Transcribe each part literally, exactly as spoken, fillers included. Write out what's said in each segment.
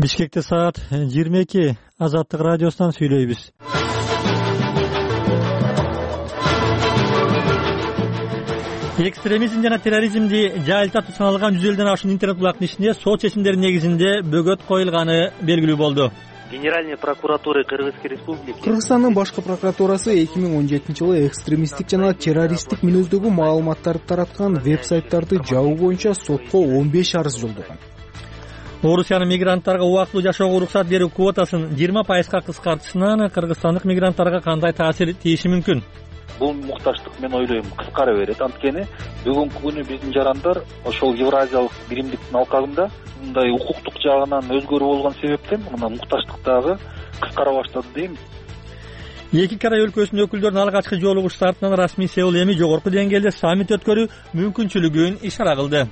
Бишкекте саат жыйырма эки. Азаттык радиосунан сүйлөйбүз. Экстремизм жана терроризмди жайылтатып саналган жүз элүүдөн ашуун интернет булактын ичинде сот чечимдеринин негизинде бөгөт коюлганы белгилүү болду. Генеральной прокуратуры Кыргызской республики Кыргызстандын башкы прокуратурасы эки миң он жетинчи жылы экстремисттик жана террористтик мүнөздөгү маалыматтарды тараткан веб-сайттарды жабуу боюнча сотко он беш арыз жолдогон. Орусиянын мигранттарга убактылуу жашоого уруксат берүү квотасын жыйырма пайызга кыскартышынан кыргызстандык мигранттарга кандай таасир тийиши мүмкүн? Бул мукташтык мен ойлойм кыскара берет. Анткени бүгүнкү күнү биздин жарандар ошол Евразиялык биримдиктин алкагында мындай укуктук жагынан өзгөрүү болгон себептен мына мукташтык дагы кыскара баштады дейм. Эки Кырай өлкөсүнүн өкүлдөрүнүн алгачкы жолугушуу артынан расмий Сеул эми жогорку деңгээлде саммит өткөрүү мүмкүнчүлүгүн ишара кылды.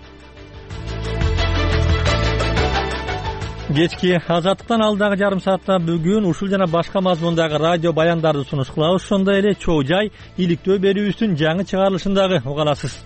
Кечки Азаттыктан алдагы жарым саатта бүгүн ушул жана башка мазмундагы радио баяндарды сунуш кылабыз. Ошондой эле чоо жай иликтөө берүүбүздүн жаңы чыгарылышын дагы уга аласыз.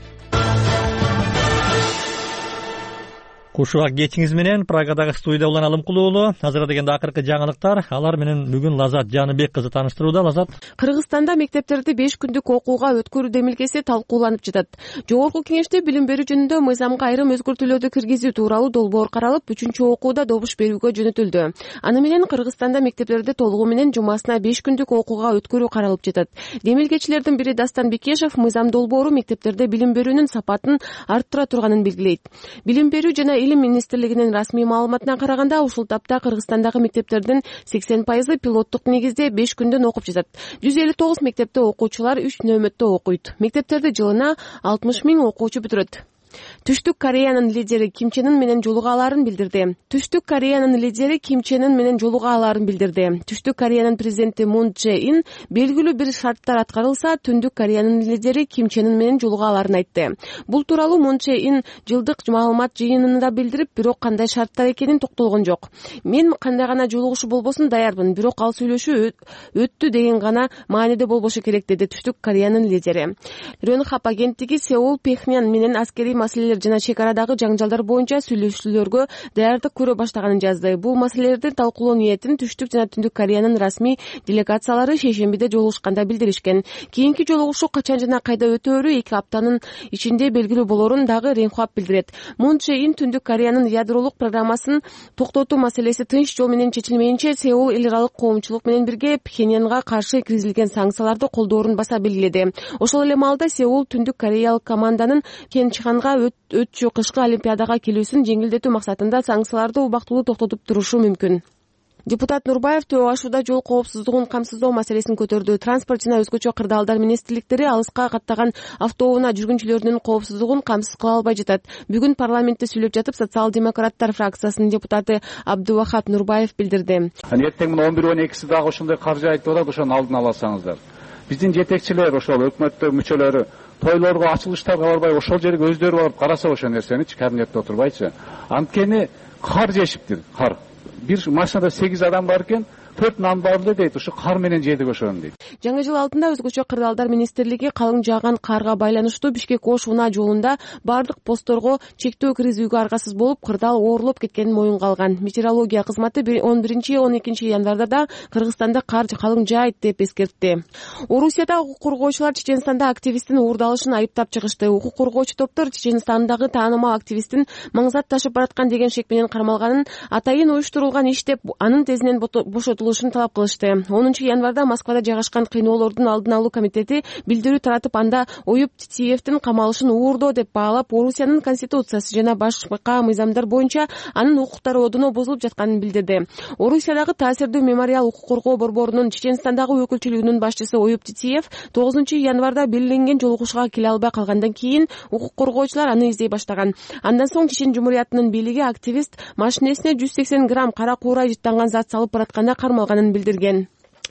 Кушубак кечиңиз менен Прагадагы студияда улан Алымкулуу уулу. Азыр дегенде акыркы жаңылыктар. Алар менен бүгүн Лазат Жаныбек кызы тааныштырууда. Лазат. Кыргызстанда мектептерди беш күндүк окууга өткөрүү демилгеси талкууланып жатат. Жогорку кеңеште билим берүү жөнүндө мыйзамга айрым өзгөртүүлөрдү киргизүү тууралуу долбоор каралып, үчүнчү окууда добуш берүүгө жөнөтүлдү. Аны менен Кыргызстанда мектептерди толугу менен жумасына беш күндүк окууга өткөрүү каралып жатат. Демилгечилердин бири Дастан Бекешев мыйзам долбоору мектептерде билим берүүнүн сапатын арттыра турганын белгилейт. Билим берүү жана Илим министрлигинин расмий маалыматына караганда, ушул тапта Кыргызстандагы мектептердин сексен пайызы пилоттук негизде беш күндөн окуп жатат. жүз элүү тогуз мектепте окуучулар үч нөөмөттө окуйт. Мектептерди жылына алтымыш миң окуучу бүтүрөт. Түштүк Кореянын лидери Ким Чен Ын менен жолугааларын билдирди. Түштүк Кореянын лидери Ким Чен Ын менен жолугааларын билдирди. Түштүк Кореянын президенти Мун Чжэ Ин белгилүү бир шарттар аткарылса, Түндүк Кореянын лидери Ким Чен Ын менен жолугааларын айтты. Бул тууралуу Мун Чжэ Ин жылдык маалымат жыйынында билдирип, бирок кандай шарттар экенин токтолгон жок. Мен кандай гана жолугушуу болбосун даярмын, бирок ал сүйлөшүү өттү деген гана мааниде болбошу керек, деди Түштүк Кореянын лидери. Рёнхап агенттиги Сеул Пхеньян менен аскерий маселелер жана чек арадагы жаңжалдар боюнча сүйлөшүүлөргө даярдык көрө баштаганын жазды. Бул маселелерди талкуулоо ниетин Түштүк жана Түндүк Кореянын расмий делегациялары шейшембиде жолугушканда билдиришкен. Кийинки жолугушуу качан жана кайда өтөөрү эки аптанын ичинде белгилүү болорун дагы Ренхап билдирет. Мун Чжэ Ин Түндүк Кореянын ядролук программасын токтотуу маселеси тынч жол менен чечилмейинче Сеул эл аралык коомчулук менен бирге Пхеньянга каршы киргизилген санкцияларды колдоорун баса белгиледи. Ошол эле маалда Сеул Түндүк Кореялык команданын Пхенчханга өтчү кышкы олимпиадага келүүсүн жеңилдетүү максатында санкцияларды убактылуу токтотуп турушу мүмкүн. Депутат Нурбаев Төө Ашууда жол коопсуздугун камсыздоо маселесин көтөрдү. Транспорт жана өзгөчө кырдаалдар министрликтери алыска каттаган автоунаа жүргүнчүлөрүнүн коопсуздугун камсыз кыла албай жатат. Бүгүн парламентте сүйлөп жатып, социал-демократтар фракциясынын депутаты Абдувахап Нурбаев билдирди. Эртең мына он бир он экиси дагы ошондой каржы айтып атат, ошону алдын аласаңыздар. Биздин жетекчилер, ошол өкмөттө мүчөлөрү тойлорго, ачылыштарга барбай, ошол жерге өздөрү барып караса ошол нерсеничи, кабинетте отурбайчы. Анткени кар жешиптир, кар. Бир машинада сегиз адам бар экен, төрт нан барды дейт, ушу кар менен жедик ошону дейт. Жаңы жыл алдында өзгөчө кырдаалдар министрлиги калың жааган карга байланыштуу Бишкек-Ош унаа жолунда бардык постторго чектөө киргизүүгө аргасыз болуп, кырдаал оорулуп кеткенин моюнга алган. Метеорология кызматы он биринчи он экинчи январда да Кыргызстанда кар калың жаайт деп эскертти. Орусияда укук коргоочулар Чеченстанда активисттин уурдалышын айыптап чыгышты. Укук коргоочу топтор Чеченстандагы таанымал активисттин маңзат ташып бараткан деген шек менен кармалганын, атайын уюштурулган иш деп анын тезинен бошотулушун талап кылышты. онунчу январда Москвада жайгашкан кыйноолордун алдын алуу комитети билдирүү таратып, анда Оюп Титиевдин камалышын уурдоо деп баалап, Орусиянын конституциясы жана башка мыйзамдар боюнча анын укуктары одоно бузулуп жатканын билдирди. Орусиядагы таасирдүү мемориал укук коргоо борборунун Чеченстандагы өкүлчүлүгүнүн башчысы Оюп Титиев тогузунчу январда белгиленген жолугушууга келе албай калгандан кийин укук коргоочулар аны издей баштаган. Андан соң Чечен Жумуриятынын бийлиги активист машинесине жүз сексен грамм кара куурай жыттанган зат салып баратканда кармалганын билдирген.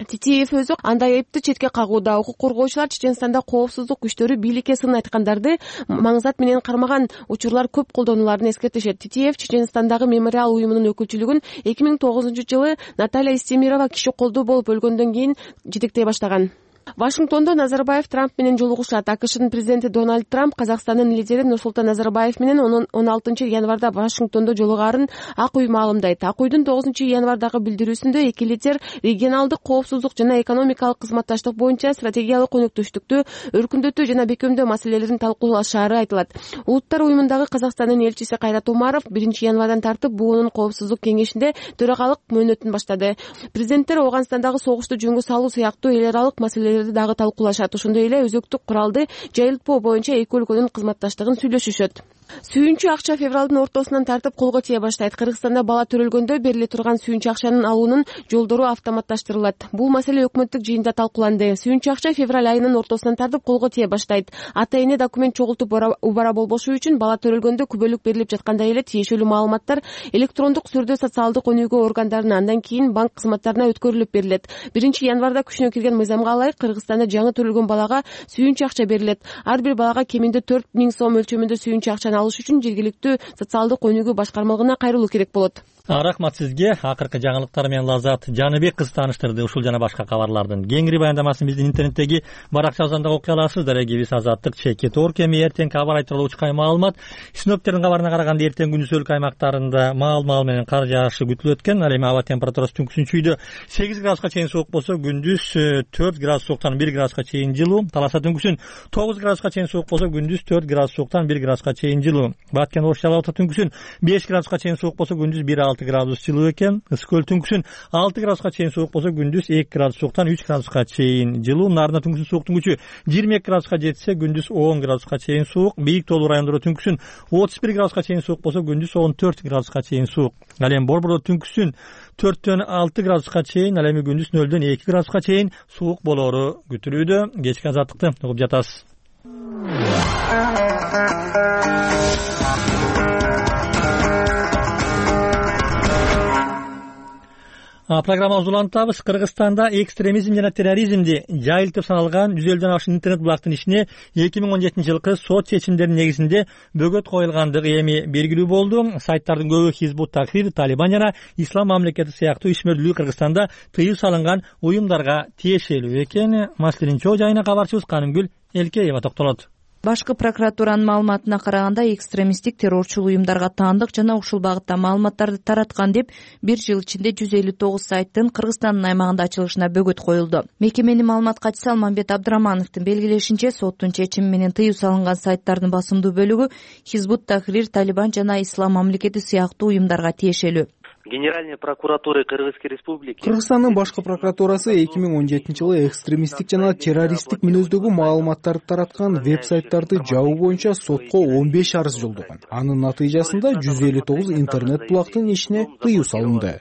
Титиев өзү андай айыпты четке кагууда. Укук коргоочулар Чеченстанда коопсуздук күчтөрү бийликке сын айткандарды маңзат менен кармаган учурлар көп колдонуларын эскертишет. Титиев Чеченстандагы мемориал уюмунун өкүлчүлүгүн эки миң тогузунчу жылы Наталья Истемирова киши колдуу болуп өлгөндөн кийин жетектей баштаган. Вашингтондо Назарбаев Трамп менен жолугушат. АКШнын президенти Дональд Трамп Казакстандын лидери Нурсултан Назарбаев менен он алтынчы январда Вашингтондо жолугаарын Ак үй маалымдайт. Ак үйдүн тогузунчу январдагы билдирүүсүндө эки лидер регионалдык коопсуздук жана экономикалык кызматташтык боюнча стратегиялык өнөктөштүктү өркүндөтүү жана бекемдөө маселелерин талкуулашаары айтылат. Улуттар уюмундагы Казакстандын элчиси Кайрат Умаров биринчи январдан тартып буунун коопсуздук кеңешинде төрагалык мөөнөтүн баштады. Президенттер Ооганстандагы согушту жөнгө салуу сыяктуу эл аралык маселелерди дагы талкуулашат. Ошондой эле өзөктүк куралды жайылтпоо боюнча эки өлкөнүн кызматташтыгын сүйлөшүшөт. Сүйүнчү акча февралдын ортосунан тартып колго тие баштайт. Кыргызстанда бала төрөлгөндө бериле турган сүйүнчү акчанын алуунун жолдору автоматташтырылат. Бул маселе өкмөттүк жыйында талкууланды. Сүйүнчү акча февраль айынын ортосунан тартып колго тие баштайт. Ата-эне документ чогултуп убара болбошу үчүн бала төрөлгөндө күбөлүк берилип жаткандай эле тиешелүү маалыматтар электрондук түрдө социалдык өнүгүү органдарына, андан кийин банк кызматтарына өткөрүлүп берилет. биринчи январда күчүнө кирген мыйзамга ылайык Кыргызстанда жаңы төрөлгөн балага сүйүнчү акча берилет. Ар бир балага кеминде төрт миң сом өлчөмүндө сүйүнчү акчаны алыш үчүн жергиликтүү социалдык өнүгүү башкармалыгына кайрылуу керек болот. Рахмат сизге. Акыркы жаңылыктар менен Лазат Жаныбек кыз тааныштырды. Ушул жана башка кабарлардын кеңири баяндамасын биздин интернеттеги баракчабыздан да окуй аласыздар. Эгибиз Азаттык чекит оор кеми эртең кабар айтылуу учкай маалымат. Синоптиктердин кабарына караганда эртең күндүз өлкө аймактарында маал-маал менен кар жаашы күтүлөт экен. Ал эми аба температурасы түнкүсүнчүйдө сегиз градуска чейин суук болсо, күндүз төрт градус сууктан бир градуска чейин жылуу. Таласа түнкүсүн тогуз градуска чейин суук болсо, күндүз төрт градус сууктан бир градуска чейин жылуу. Баткен Ош Жалал Абад түнкүсүн беш градуска чейин суук болсо, күндүз бир алты градус жылуу экен. Ысык көл түнкүсүн алты градуска чейин суук болсо, күндүз эки градус сууктан үч градуска чейин жылуу. Нарында түнкүсүн сууктун күчү жыйырма эки градуска жетсе, күндүз он градуска чейин суук. Бийик тоолуу райондордо түнкүсүн отуз бир градуска чейин суук болсо, күндүз он төрт градуска чейин суук. Ал эми Борбордо түнкүсүн төрттөн алты градуска чейин, ал эми күндүз нөлдөн эки градуска чейин суук болоору күтүлүүдө. Кечки азаттыкты угуп жатасыз. Программабызды улантабыз. Кыргызстанда экстремизм жана терроризмди жайылтып саналган жүз элүүдөн ашык интернет булактын ишине эки миң он жетинчи жылкы сот чечимдеринин негизинде бөгөт коюлгандыгы эми белгилүү болду. Сайттардын көбү Хизбут Тахрир, Талибан жана Ислам мамлекети сыяктуу ишмердүүлүк Кыргызстанда тыюу салынган уюмдарга тиешелүү экен. Маселенин чоо жайына кабарчыбыз Канымгүл Элкеева токтолот. Башкы прокуратуранын маалыматына караганда, экстремисттик террорчул уюмдарга таандык жана ушул багытта маалыматтарды тараткан деп бир жыл ичинде жүз элүү тогуз сайттын Кыргызстандын аймагында ачылышына бөгөт коюлду. Мекеменин маалымат катчысы Алмамбет Абдрахмановдун белгилешинче, соттун чечими менен тыюу салынган сайттардын басымдуу бөлүгү Хизбут Тахрир, Талибан жана Ислам мамлекети сыяктуу уюмдарга тиешелүү. Генеральной прокуратуры Кыргызской республики Кыргызстандын башкы прокуратурасы эки миң он жетинчи жылы экстремисттик жана террористтик мүнөздөгү маалыматтарды тараткан веб-сайттарды жабуу боюнча сотко он беш арыз жолдогон. Анын натыйжасында жүз элүү тогуз интернет булактын ишине тыюу салынды.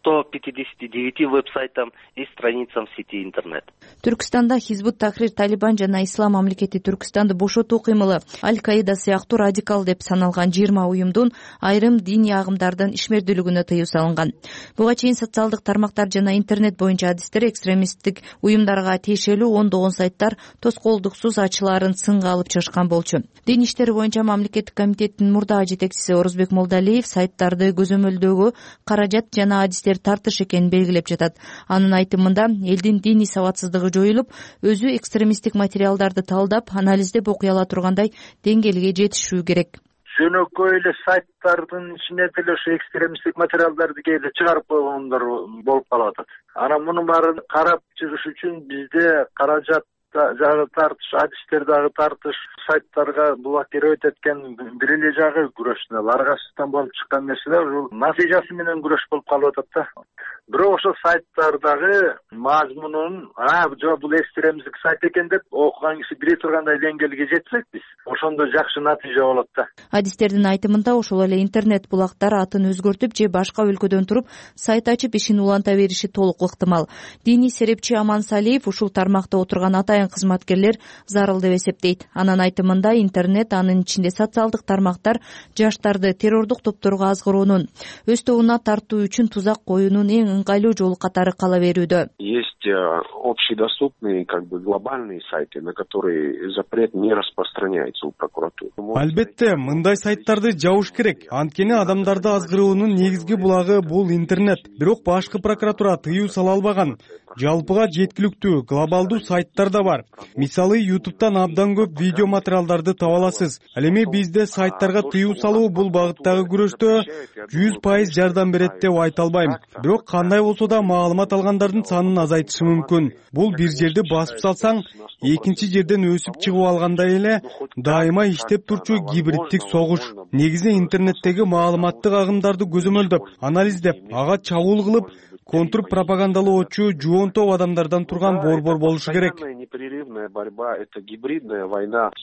сто пятьдесят девять веб-сайтам и страницам в сети интернет. Түркстанда Хизбут Тахрир, Талибан жана Ислам мамлекети Түркстанды бошотуу кыймылы Аль-Каида сыяктуу радикал деп саналган жыйырма уюмдун айрым диний агымдардын ишмердүүлүгүнө тыюу салынган. Буга чейин социалдык тармактар жана интернет боюнча адистер экстремисттик уюмдарга тиешелүү ондогон сайттар тоскоолдуксуз ачылаарын сынга алып чыгышкан болчу. Дин иштери боюнча мамлекеттик комитеттин мурдагы жетекчиси Орозбек Молдалиев сайттарды көзөмөлдөгө каражат жана адистер тартыш экенин белгилеп жатат. Анын айтымында, элдин диний сабатсыздыгы жоюлуп, өзү экстремисттик материалдарды талдап, анализдеп окуй ала тургандай деңгээлге жетишүү керек. Жөнөкөй эле сайттардын ичине деле ошо экстремисттик материалдарды кээде чыгарып койгондор болуп калып атат. Анан мунун баарын карап чыгыш үчүн бизде каражат жагы тартыш, адистер дагы тартыш, сайттарга блокировать эткен бир эле жагы күрөшүнө аргасыздан болуп чыккан нерселер ушул натыйжасы менен күрөш болуп калып атат да. Бирок ошо сайттардагы мазмунун, а жок бул экстремисттик сайт экен деп окуган киши биле тургандай деңгээлге жетсек биз, ошондо жакшы натыйжа болот да. Адистердин айтымында, ошол эле интернет булактар атын өзгөртүп же башка өлкөдөн туруп сайт ачып ишин уланта бериши толук ыктымал. Диний серепчи Аман Салиев ушул тармакта отурган атайын атайын кызматкерлер зарыл деп эсептейт. Анын айтымында интернет, анын ичинде социалдык тармактар жаштарды террордук топторго азгыруунун, өз тобуна тартуу үчүн тузак коюунун эң ыңгайлуу жолу катары кала берүүдө. Есть общедоступные, как бы глобальные сайты, на которые запрет не распространяется у прокуратуры. Албетте, мындай сайттарды жабыш керек. Анткени адамдарды азгыруунун негизги булагы бул интернет. Бирок башкы прокуратура тыюу сала албаган. Жалпыга жеткиликтүү глобалдуу сайттар да бар. Мисалы, ютубтан абдан көп видео материалдарды таба аласыз. Ал эми бизде сайттарга тыюу салуу бул багыттагы күрөштө жүз пайыз жардам берет деп айта албайм. Бирок кандай болсо да маалымат алгандардын санын азайтышы мүмкүн. Бул бир жерди басып салсаң, экинчи жерден өсүп чыгып алгандай эле дайыма иштеп турчу гибриддик согуш. Негизи интернеттеги маалыматтык агымдарды көзөмөлдөп, анализдеп, ага чабуул кылып, контрпропагандалоочу жуон топ адамдардан турган борбор болушу керек.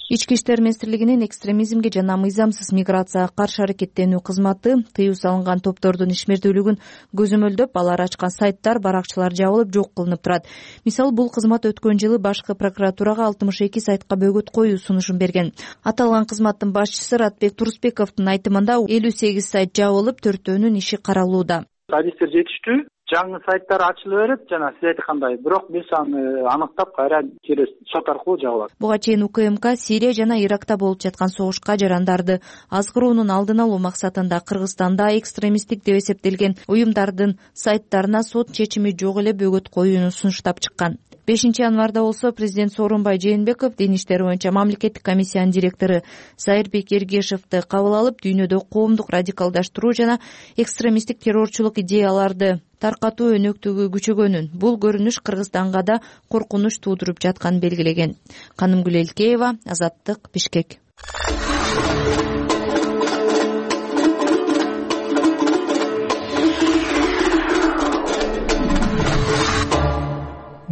Ички иштер министрлигинин экстремизмге жана мыйзамсыз миграцияга каршы аракеттенүү кызматы тыюу салынган топтордун ишмердүүлүгүн көзөмөлдөп, алар ачкан сайттар, баракчалар жабылып, жок кылынып турат. Мисалы, бул кызмат өткөн жылы башкы прокуратурага алтымыш эки сайтка бөгөт коюу сунушун берген. Аталган кызматтын башчысы Ратбек Турусбековдун айтымында элүү сегиз сайт жабылып, төртөөнүн иши каралууда. Адистер жетиштүү, жаңы сайттар ачыла берет жана сиз айткандай, бирок биз аны аныктап кайра через сот аркылуу жабылат. Буга чейин УКМК Сирия жана Иракта болуп жаткан согушка жарандарды азгыруунун алдын алуу максатында Кыргызстанда экстремисттик деп эсептелген уюмдардын сайттарына сот чечими жок эле бөгөт коюуну сунуштап чыккан. бешинчи январда болсо президент Сооронбай Жээнбеков дин иштери боюнча мамлекеттик комиссиянын директору Зайырбек Эргешевди кабыл алып, дүйнөдө коомдук радикалдаштыруу жана экстремисттик террорчулук идеяларды таркатуу өнөктүгү күчөгөнүн, бул көрүнүш Кыргызстанга да коркунуч туудуруп жатканын белгилеген. Канымгүл Элкеева, Азаттык, Бишкек.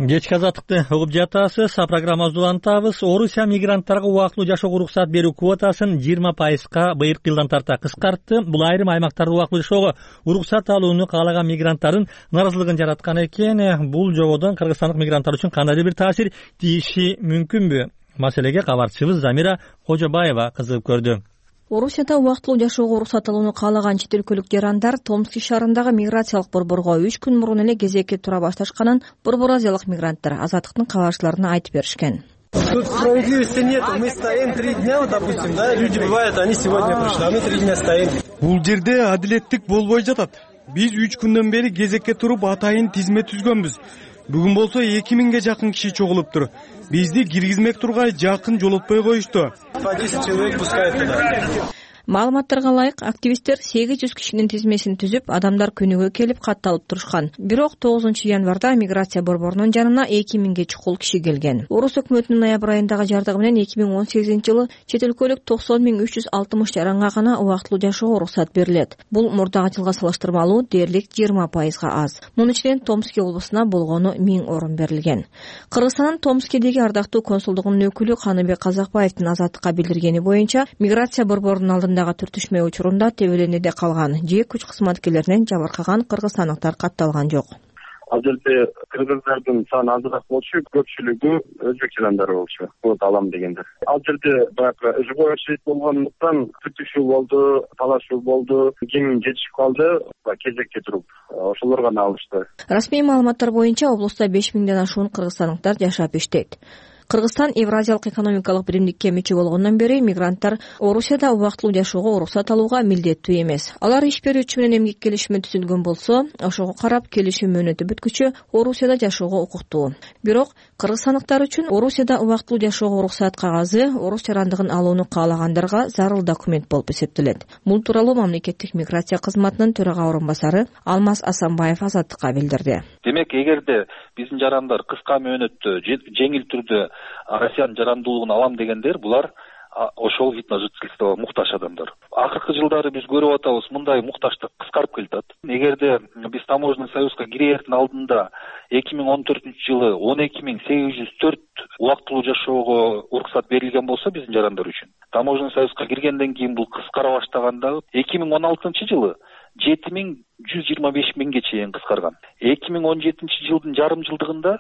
Кечки азаттыкты угуп жатасыз. Программабызды улантабыз. Орусия мигранттарга убактылуу жашоого уруксат берүү квотасын жыйырма пайызга быйыркы жылдан тарта кыскартты. Бул айрым аймактарда убактылуу жашоого уруксат алууну каалаган мигранттардын нааразылыгын жараткан экен. Бул жободон кыргызстандык мигранттар үчүн кандайдыр бир таасир тийиши мүмкүнбү? Маселеге кабарчыбыз Замира Кожобаева кызыгып көрдү. Орусияда убактылуу жашоого уруксат алууну каалаган чет өлкөлүк жарандар Томск шаарындагы миграциялык борборго үч күн мурун эле кезекке тура башташканын борбор азиялык мигранттар Азаттыктын кабарчыларына айтып беришкен. Тут справедливости нет. Мы стоим три дня, вот, допустим, да, люди бывают, они сегодня пришли, а мы три дня стоим. Бул жерде адилеттик болбой жатат. Биз үч күндөн бери кезекке туруп атайын тизме түзгөнбүз. Бүгүн болсо эки миңге жакын киши чогулуптур. Бизди киргизмек тургай жакын жолотпой коюшту. По десять человек пускают туда. Маалыматтарга ылайык, активисттер сегиз жүз кишинин тизмесин түзүп, адамдар күнүгө келип катталып турушкан. Бирок тогузунчу январда миграция борборунун жанына эки миңге чукул киши келген. Орус өкмөтүнүн ноябрь айындагы жардыгы менен эки миң он сегизинчи жылы чет өлкөлүк токсон миң үч жүз алтымыш жаранга гана убактылуу жашоого уруксат берилет. Бул мурдагы жылга салыштырмалуу дээрлик жыйырма пайызга аз. Мунун ичинен Томск облусуна болгону миң орун берилген. Кыргызстандын Томскедеги ардактуу консулдугунун өкүлү Каныбек Казакбаевдин Азаттыкка билдиргени боюнча, миграция борборунун алдында түртүшмө учурунда тебеленүүдө калган же күч кызматкерлеринен жабыркаган кыргызстандыктар катталган жок. Ал жерде кыргыздардын саны азыраак болчу, көпчүлүгү өзбек жарандары болчу. Квота алам дегендер. Ал жерде баягы живой очередь болгондуктан түртүшүү болду, талашуу болду, ким жетишип калды, кезекке туруп ошолор гана алышты. Расмий маалыматтар боюнча облустта беш миңден ашуун кыргызстандыктар жашап иштейт. Кыргызстан Евразиялык экономикалык биримдикке мүчө болгондон бери мигранттар Орусияда убактылуу жашоого уруксат алууга милдеттүү эмес. Алар иш берүүчү менен эмгек келишими түзүлгөн болсо, ошого карап келишим мөөнөтү бүткүчө Орусияда жашоого укуктуу. Бирок кыргызстандыктар үчүн Орусияда убактылуу жашоого уруксат кагазы орус жарандыгын алууну каалагандарга зарыл документ болуп эсептелет. Бул тууралуу мамлекеттик миграция кызматынын төрага орун басары Алмаз Асанбаев Азаттыкка билдирди. Демек, эгерде биздин жарандар кыска мөөнөттө жеңил түрдө Россиянын жарандуулугун алам дегендер, булар ошол вид на жительство муктаж адамдар. Акыркы жылдары биз көрүп атабыз, мындай муктаждык кыскарып келатат. Эгерде биз таможенный союзга кирердин алдында эки миң он төртүнчү жылы он эки миң сегиз жүз төрт убактылуу жашоого уруксат берилген болсо биздин жарандар үчүн, таможенный союзга киргенден кийин бул кыскара баштаганда эки миң он алтынчы жылы жети миң жүз жыйырма беш миңге чейин кыскарган. эки миң он жетинчи жылдын жарым жылдыгында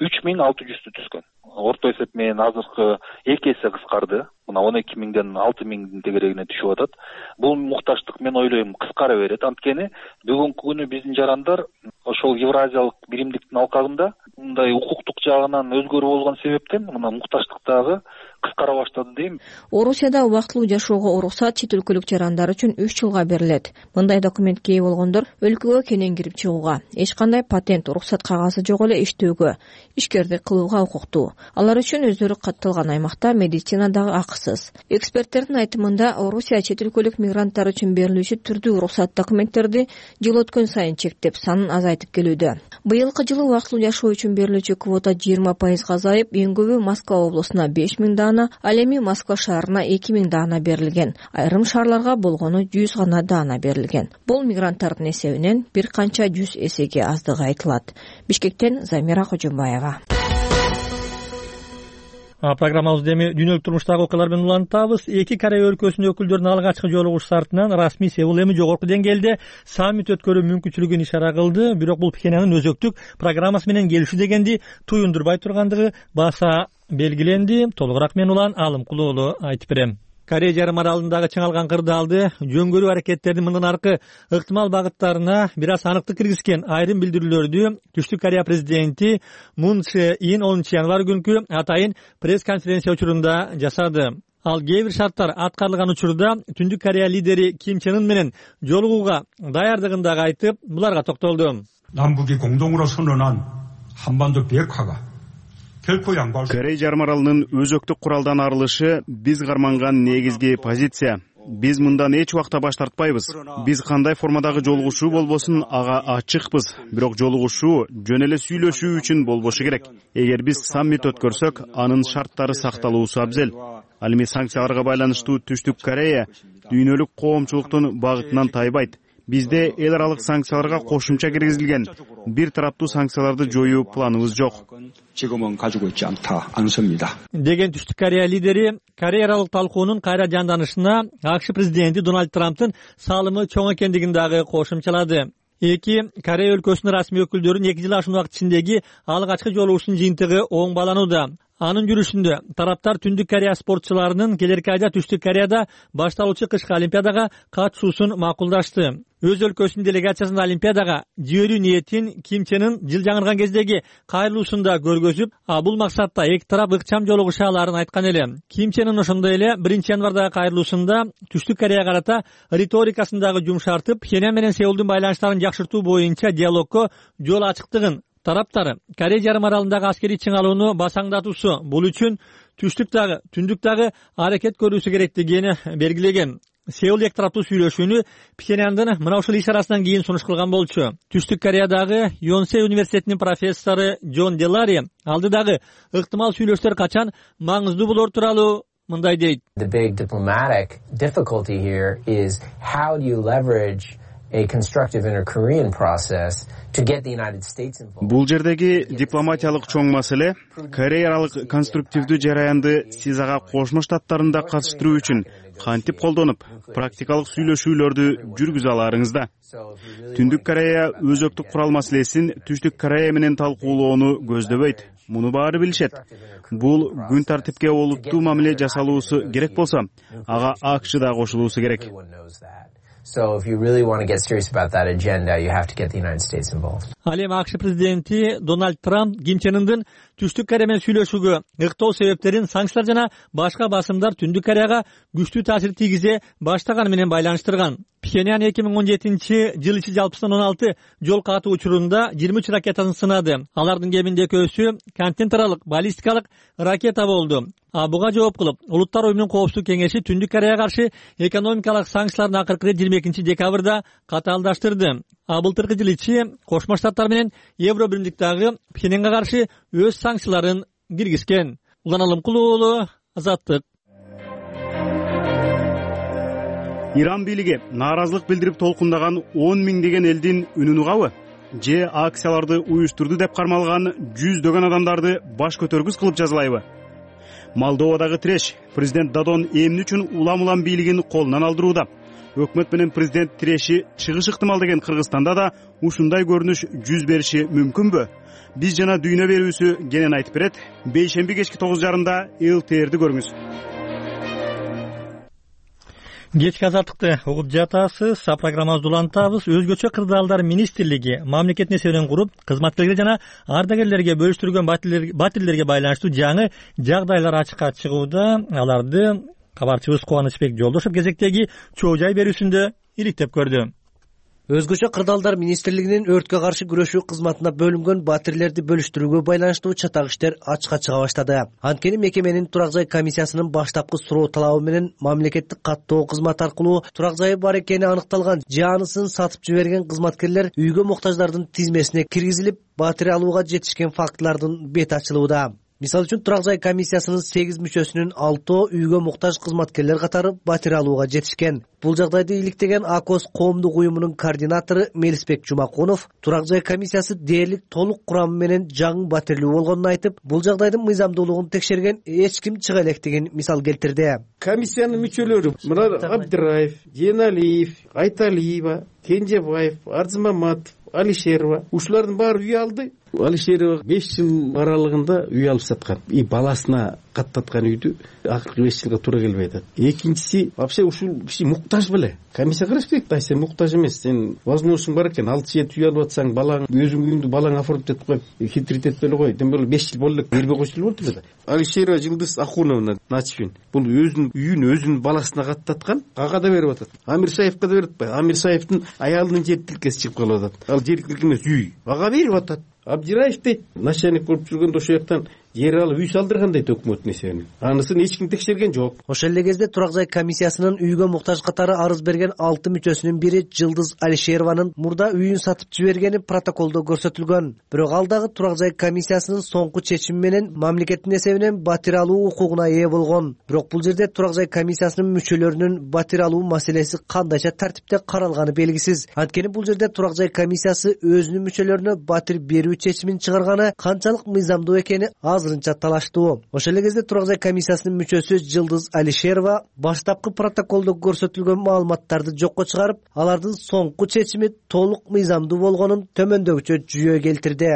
үч миң алты жүздү түзгөн. Орто эсеп менен азыркы эки эсе кыскарды. Мына он эки миңден алты миңдин тегерегине түшүп атат. Бул мукташтык мен ойлойм кыскара берет. Анткени бүгүнкү күнү биздин жарандар ошол Евразиялык биримдиктин алкагында мындай укуктук жагынан өзгөрүү болгон себептен мына мукташтык дагы кыскара баштады дейм. Орусияда убактылуу жашоого уруксат чет өлкөлүк жарандар үчүн үч жылга берилет. Мындай документке ээ болгондор өлкөгө кенен кирип чыгууга, эч кандай патент, уруксат кагазы жок эле иштөөгө, ишкердик кылууга укуктуу. Алар үчүн өздөрү катталган аймакта медицина дагы акысыз. Эксперттердин айтымында, Орусия чет өлкөлүк мигранттар үчүн берилүүчү түрдүү уруксат документтерди жыл өткөн сайын чектеп, санын азайтып келүүдө. Быйылкы жылы убактылуу жашоо үчүн берилүүчү квота жыйырма пайызга азайып, эң көбү Москва облусуна беш миң даана, ал эми Москва шаарына эки миң даана берилген. Айрым шаарларга болгону жүз гана даана берилген. Бул мигранттардын эсебинен бир канча жүз эсеге аздыгы айтылат. Бишкектен Замира Кожомбаева. Программабызды эми дүйнөлүк турмуштагы окуялар менен улантабыз. Эки Корея өлкөсүнүн өкүлдөрүнүн алгачкы жолугушуусу артынан расмий Сеул эми жогорку деңгээлде саммит өткөрүү мүмкүнчүлүгүн ишара кылды. Бирок бул Пхеньяндын өзөктүк программасы менен келишүү дегенди туюндурбай тургандыгы баса белгиленди. Толугураак мен улан Алымкулуу уулу айтып берем. Корея жарым аралындагы чыңалган кырдаалды жөнгөрүү аракеттердин мындан аркы ыктымал багыттарына бир аз аныктык киргизген айрым билдирүүлөрдү Түштүк Корея президенти Мун Чже Ин онунчу январь күнкү атайын пресс-конференция учурунда жасады. Ал кээ бир шарттар аткарылган учурда Түндүк Корея лидери Ким Чен Ын менен жолугууга даярдыгын дагы айтып, буларга токтолду. 남북이 공동으로 선언한 한반도 비핵화가 Корея жарым аралынын өзөктүк куралдан арылышы биз карманган негизги позиция. Биз мындан эч убакта баш тартпайбыз. Биз кандай формадагы жолугушуу болбосун ага ачыкпыз. Бирок жолугушуу жөн эле сүйлөшүү үчүн болбошу керек. Эгер биз саммит өткөрсөк, анын шарттары сакталуусу абзел. Ал эми санкцияларга байланыштуу Түштүк Корея дүйнөлүк коомчулуктун багытынан тайбайт. Бизде эл аралык санкцияларга кошумча киргизилген. Бир тараптуу санкцияларды жоюу планыбыз жок. Деген Түштүк Корея лидери Корея аралык талкуунун кайра жанданышына АКШ президенти Дональд Трамптын салымы чоң экендигин дагы кошумчалады. Эки Корея өлкөсүнүн расмий өкүлдөрүнүн эки жыл ашуун убакыт ичиндеги алгачкы жолугушуунун жыйынтыгы оң бааланууда. Анын жүрүшүндө тараптар Түндүк Корея спортчуларынын келерки айда Түштүк Кореяда башталуучу кышкы олимпиадага катышуусун макулдашты. Өз өлкөсүнүн делегациясынын олимпиадага жиберүү ниетин Ким Чен Ын жыл жаңырган кездеги кайрылуусунда көргөзүп, а бул максатта эки тарап ыкчам жолугуша аларын айткан эле. Ким Чен Ын ошондой эле биринчи январдагы кайрылуусунда Түштүк Корея карата риторикасын дагы жумшартып, Пхеньян менен Сеулдун байланыштарын жакшыртуу боюнча диалогко жол ачыктыгын, тараптар Корея жарым аралындагы аскерий чыңалууну басаңдатуусу, бул үчүн Түштүк дагы, Түндүк дагы аракет көрүүсү керектигин белгилеген. Сеул эки тараптуу сүйлөшүүнү Пхеньяндын мына ушул ишарасынан кийин сунуш кылган болчу. Түштүк Кореядагы Йонсе университетинин профессору Джон Делари алдыдагы ыктымал сүйлөшүүлөр качан маңыздуу болор тууралуу мындай дейт. The big diplomatic difficulty here is how do you leverage a constructive inter-Korean process to get the United States involved. Бул жердеги дипломатиялык чоң маселе Корея аралык конструктивдүү жараянды сиз ага Кошмо Штаттарын да катыштыруу үчүн кантип колдонуп, практикалык сүйлөшүүлөрдү жүргүзө аларыңызда. Түндүк Корея өзөктүк курал маселесин Түштүк Корея менен талкуулоону көздөбөйт. Муну баары билишет. Бул күн тартипке олуттуу мамиле жасалуусу керек болсо, ага АКШ да кошулуусу керек. So if you really want to get serious about that agenda, you have to get the United States involved. Ал эми АКШ президенти Дональд Трамп Ким Чен Ындын Түштүк Корея менен сүйлөшүүгө ыктоо себептерин санкциялар жана башка басымдар Түндүк Кореяга күчтүү таасир тийгизе баштаганы менен байланыштырган. Пхеньян эки миң он жетинчи жыл ичи жалпысынан он алты жол катуу учурунда жыйырма үч ракетасын сынады. Алардын кеминде экөөсү континент баллистикалык ракета болду. А буга жооп кылып, Улуттар уюмунун коопсуздук кеңеши Түндүк Кореяга каршы экономикалык санкциялардын акыркы жыйырма экинчи декабрда катаалдаштырды. А былтыркы жыл ичи Кошмо Штаттар менен Евро биримдиктагы Пхеньянга каршы өз санкцияларын киргизген. Улан Алымкулуу уулу, Азаттык. Иран бийлиги нааразылык билдирип толкундаган он миңдеген элдин үнүн угабы? Же акцияларды уюштурду деп кармалган жүздөгөн адамдарды баш көтөргүс кылып жазалайбы? Молдовадагы треш президент Дадон эмне үчүн улам-улам бийлигин колунан алдырууда? өкмөт менен президент тиреши чыгыш ыктымал деген Кыргызстанда да ушундай көрүнүш жүз бериши мүмкүнбү? Биз жана дүйнө берүүсү кенен айтып берет. Бейшемби кечки тогуз жарымда эл ти эрди көрүңүз. Кечки азаттыкты угуп жатасыз. Программабызды улантабыз. Өзгөчө кырдаалдар министрлиги мамлекет несебинен куруп, кызматкерлерге жана ардагерлерге бөлүштүргөн батирлерге байланыштуу жаңы жагдайлар ачыкка чыгууда. Аларды кабарчыбыз Кубанычбек Жолдошов кезектеги чоо жай берүүсүндө иликтеп көрдү. Өзгөчө кырдаалдар министрлигинин өрткө каршы күрөшүү кызматына бөлүнгөн батирлерди бөлүштүрүүгө байланыштуу чатак иштер ачыкка чыга баштады. Анткени мекеменин турак жай комиссиясынын баштапкы суроо талабы менен мамлекеттик каттоо кызматы аркылуу турак жайы бар экени аныкталган жаанысын сатып жиберген кызматкерлер үйгө муктаждардын тизмесине киргизилип, батир алууга жетишкен фактылардын бети ачылууда. Мисалы үчүн турак жай комиссиясынын сегиз мүчөсүнүн алтоо үйгө муктаж кызматкерлер катары батир алууга жетишкен. Бул жагдайды иликтеген АКОС коомдук уюмунун координатору Мелисбек Жумакунов турак жай комиссиясы дээрлик толук курамы менен жаңы батирлүү болгонун айтып, бул жагдайдын мыйзамдуулугун текшерген эч ким чыга электигин мисал келтирди. Комиссиянын мүчөлөрү мына Абдыраев, Женалиев, Айталиева, Кенжебаев, Арзымаматов, Алишерова ушулардын баары үй алды. Алишерова беш жыл аралыгында үй алып саткан. И баласына каттаткан үйдү акыркы беш жылга туура келбей атат. Экинчиси вообще ушул киши муктаж беле. Комиссия караш керек да, сен муктаж эмес, сен возможностуң бар экен, алты жети үй алып атсаң, балаң өзүң үйүңдү балаң оформить этип коюп, хитрит этпей эле кой. Дем эле беш жыл болду эле бербей койсо болот эле да. Алишерова Жылдыз Ахуновна Начфин бул өзүнүн үйүн өзүнүн баласына каттаткан, ага да берип атат. Амирсаевка да берип атпайбы? Амирсаевдин аялынын жер тилкеси чыгып калып атат. Ал жер тилке эмес үй, ага берип атат. Абдираев дейт, начальник болуп жүргөндө ошол жактан жер алып үй салдырган дейт өкмөттүн эсебинен. Анысын эч ким текшерген жок. Ошол эле кезде турак жай комиссиясынын үйгө муктаж катары арыз берген алты мүчөсүнүн бири Жылдыз Алишерованын мурда үйүн сатып жибергени протоколдо көрсөтүлгөн. Бирок ал дагы турак жай комиссиясынын соңку чечими менен мамлекеттин эсебинен батир алуу укугуна ээ болгон. Бирок бул жерде турак жай комиссиясынын мүчөлөрүнүн батир алуу маселеси кандайча тартипте каралганы белгисиз. Анткени бул жерде турак жай комиссиясы өзүнүн мүчөлөрүнө батир берүү чечимин чыгарганы канчалык мыйзамдуу экени азырынча талаштуу. Ошол эле кезде турак жай комиссиясынын мүчөсү Жылдыз Алишерова баштапкы протоколдо көрсөтүлгөн маалыматтарды жокко чыгарып, алардын соңку чечими толук мыйзамдуу болгонун төмөндөгүчө жүйө келтирди.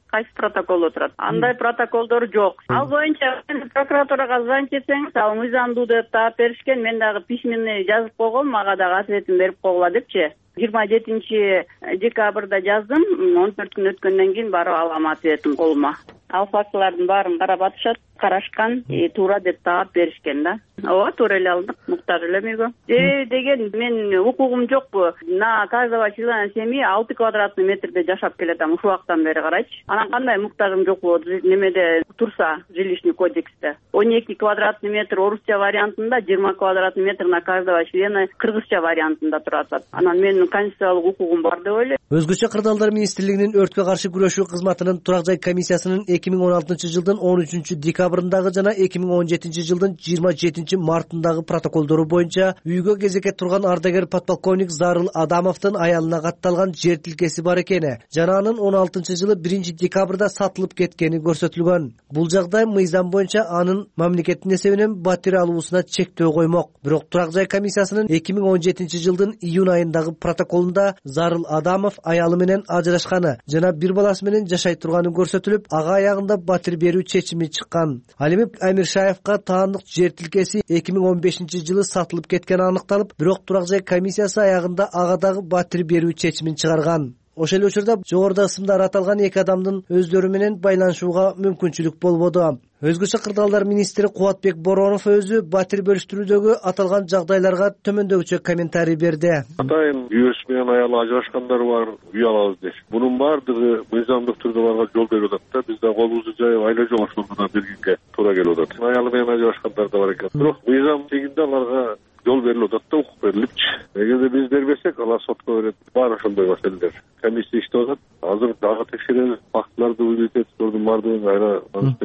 Кайсы протоколдо турат? Андай протоколдор жок. Ал боюнча прокуратурага звонить этсеңиз, ал мыйзамдуу деп таап беришкен. Мен дагы письменный жазып койгом, ага дагы ответин берип койгула депчи. жыйырма жетинчи декабрда жаздым, он төрт күн өткөндөн кийин барып алам ответим колума. Ал фактылардын баарын карап атышат, карашкан, туура деп таап беришкен да. Ооба, туура эле алдык, муктаж элем үйгө. Э деген мен укугум жокпу? На каждого члена семьи алты квадратный метрде жашап келатам ушул вакыттан бери карайчы. Анан кандай муктажым жокпу немеде турса, жилищный кодексте. он эки квадратный метр орусча вариантында, жыйырма квадратный метр на каждого члена кыргызча вариантында турат. Анан менин конституциялык укугум бар деп ойлойм. Өзгөчө кырдаалдар министрлигинин өрткө каршы күрөшүү кызматынын турак жай комиссиясынын эки миң он алтынчы жылдын он үчүнчү декабрындагы жана эки миң он жетинчи жылдын жыйырма жетинчи мартындагы протоколдору боюнча үйгө кезекке турган ардагер подполковник Зарыл Адамовдун аялына катталган жер тилкеси бар экени жана анын он алтынчы жылы биринчи декабрда сатылып кеткени көрсөтүлгөн. Бул жагдай мыйзам боюнча анын мамлекеттин эсебинен батир алуусуна чектөө коймок. Бирок турак жай комиссиясынын эки миң он жетинчи жылдын июнь айындагы протоколунда Зарыл Адамов аялы менен ажырашканы жана бир баласы менен жашай турганы көрсөтүлүп, ага аягында батир берүү чечими чыккан. Ал эми Амиршаевка таандык жер тилкеси эки миң он бешинчи жылы сатылып кеткени аныкталып, бирок турак жай комиссиясы аягында ага дагы батир берүү чечимин чыгарган. Ошол учурда жогоруда ысымдар аталган эки адамдын өздөрү менен байланышууга мүмкүнчүлүк болбоду. Өзгөчө кырдаалдар министри Кубатбек Боронов өзү батир бөлүштүрүүдөгү аталган жагдайларга төмөндөгүчө комментарий берди. Атайын күйөөсү менен аялы ажырашкандар бар, үй алабыз дейт. Бунун баардыгы мыйзамдык түрдө барга жол берип атат да. Биз да колубузду жайып айла жогошууна бергенге туура келип атат. Аялы менен ажырашкандар да бар экен. Бирок мыйзам тегинде аларга жол берилип атат да, укук берилипчи. Эгерде биз бербесек, алар сотко берет. Бар ошондой маселелер. Комиссия иштеп атат. Азыр дагы текшеребиз, фактыларды уйлайтып, сордун баардыгын кайра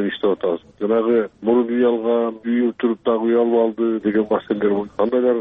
иштеп атабыз. Жанагы мурун үй алган, үй туруп дагы үй алып алды деген маселелер кандайлар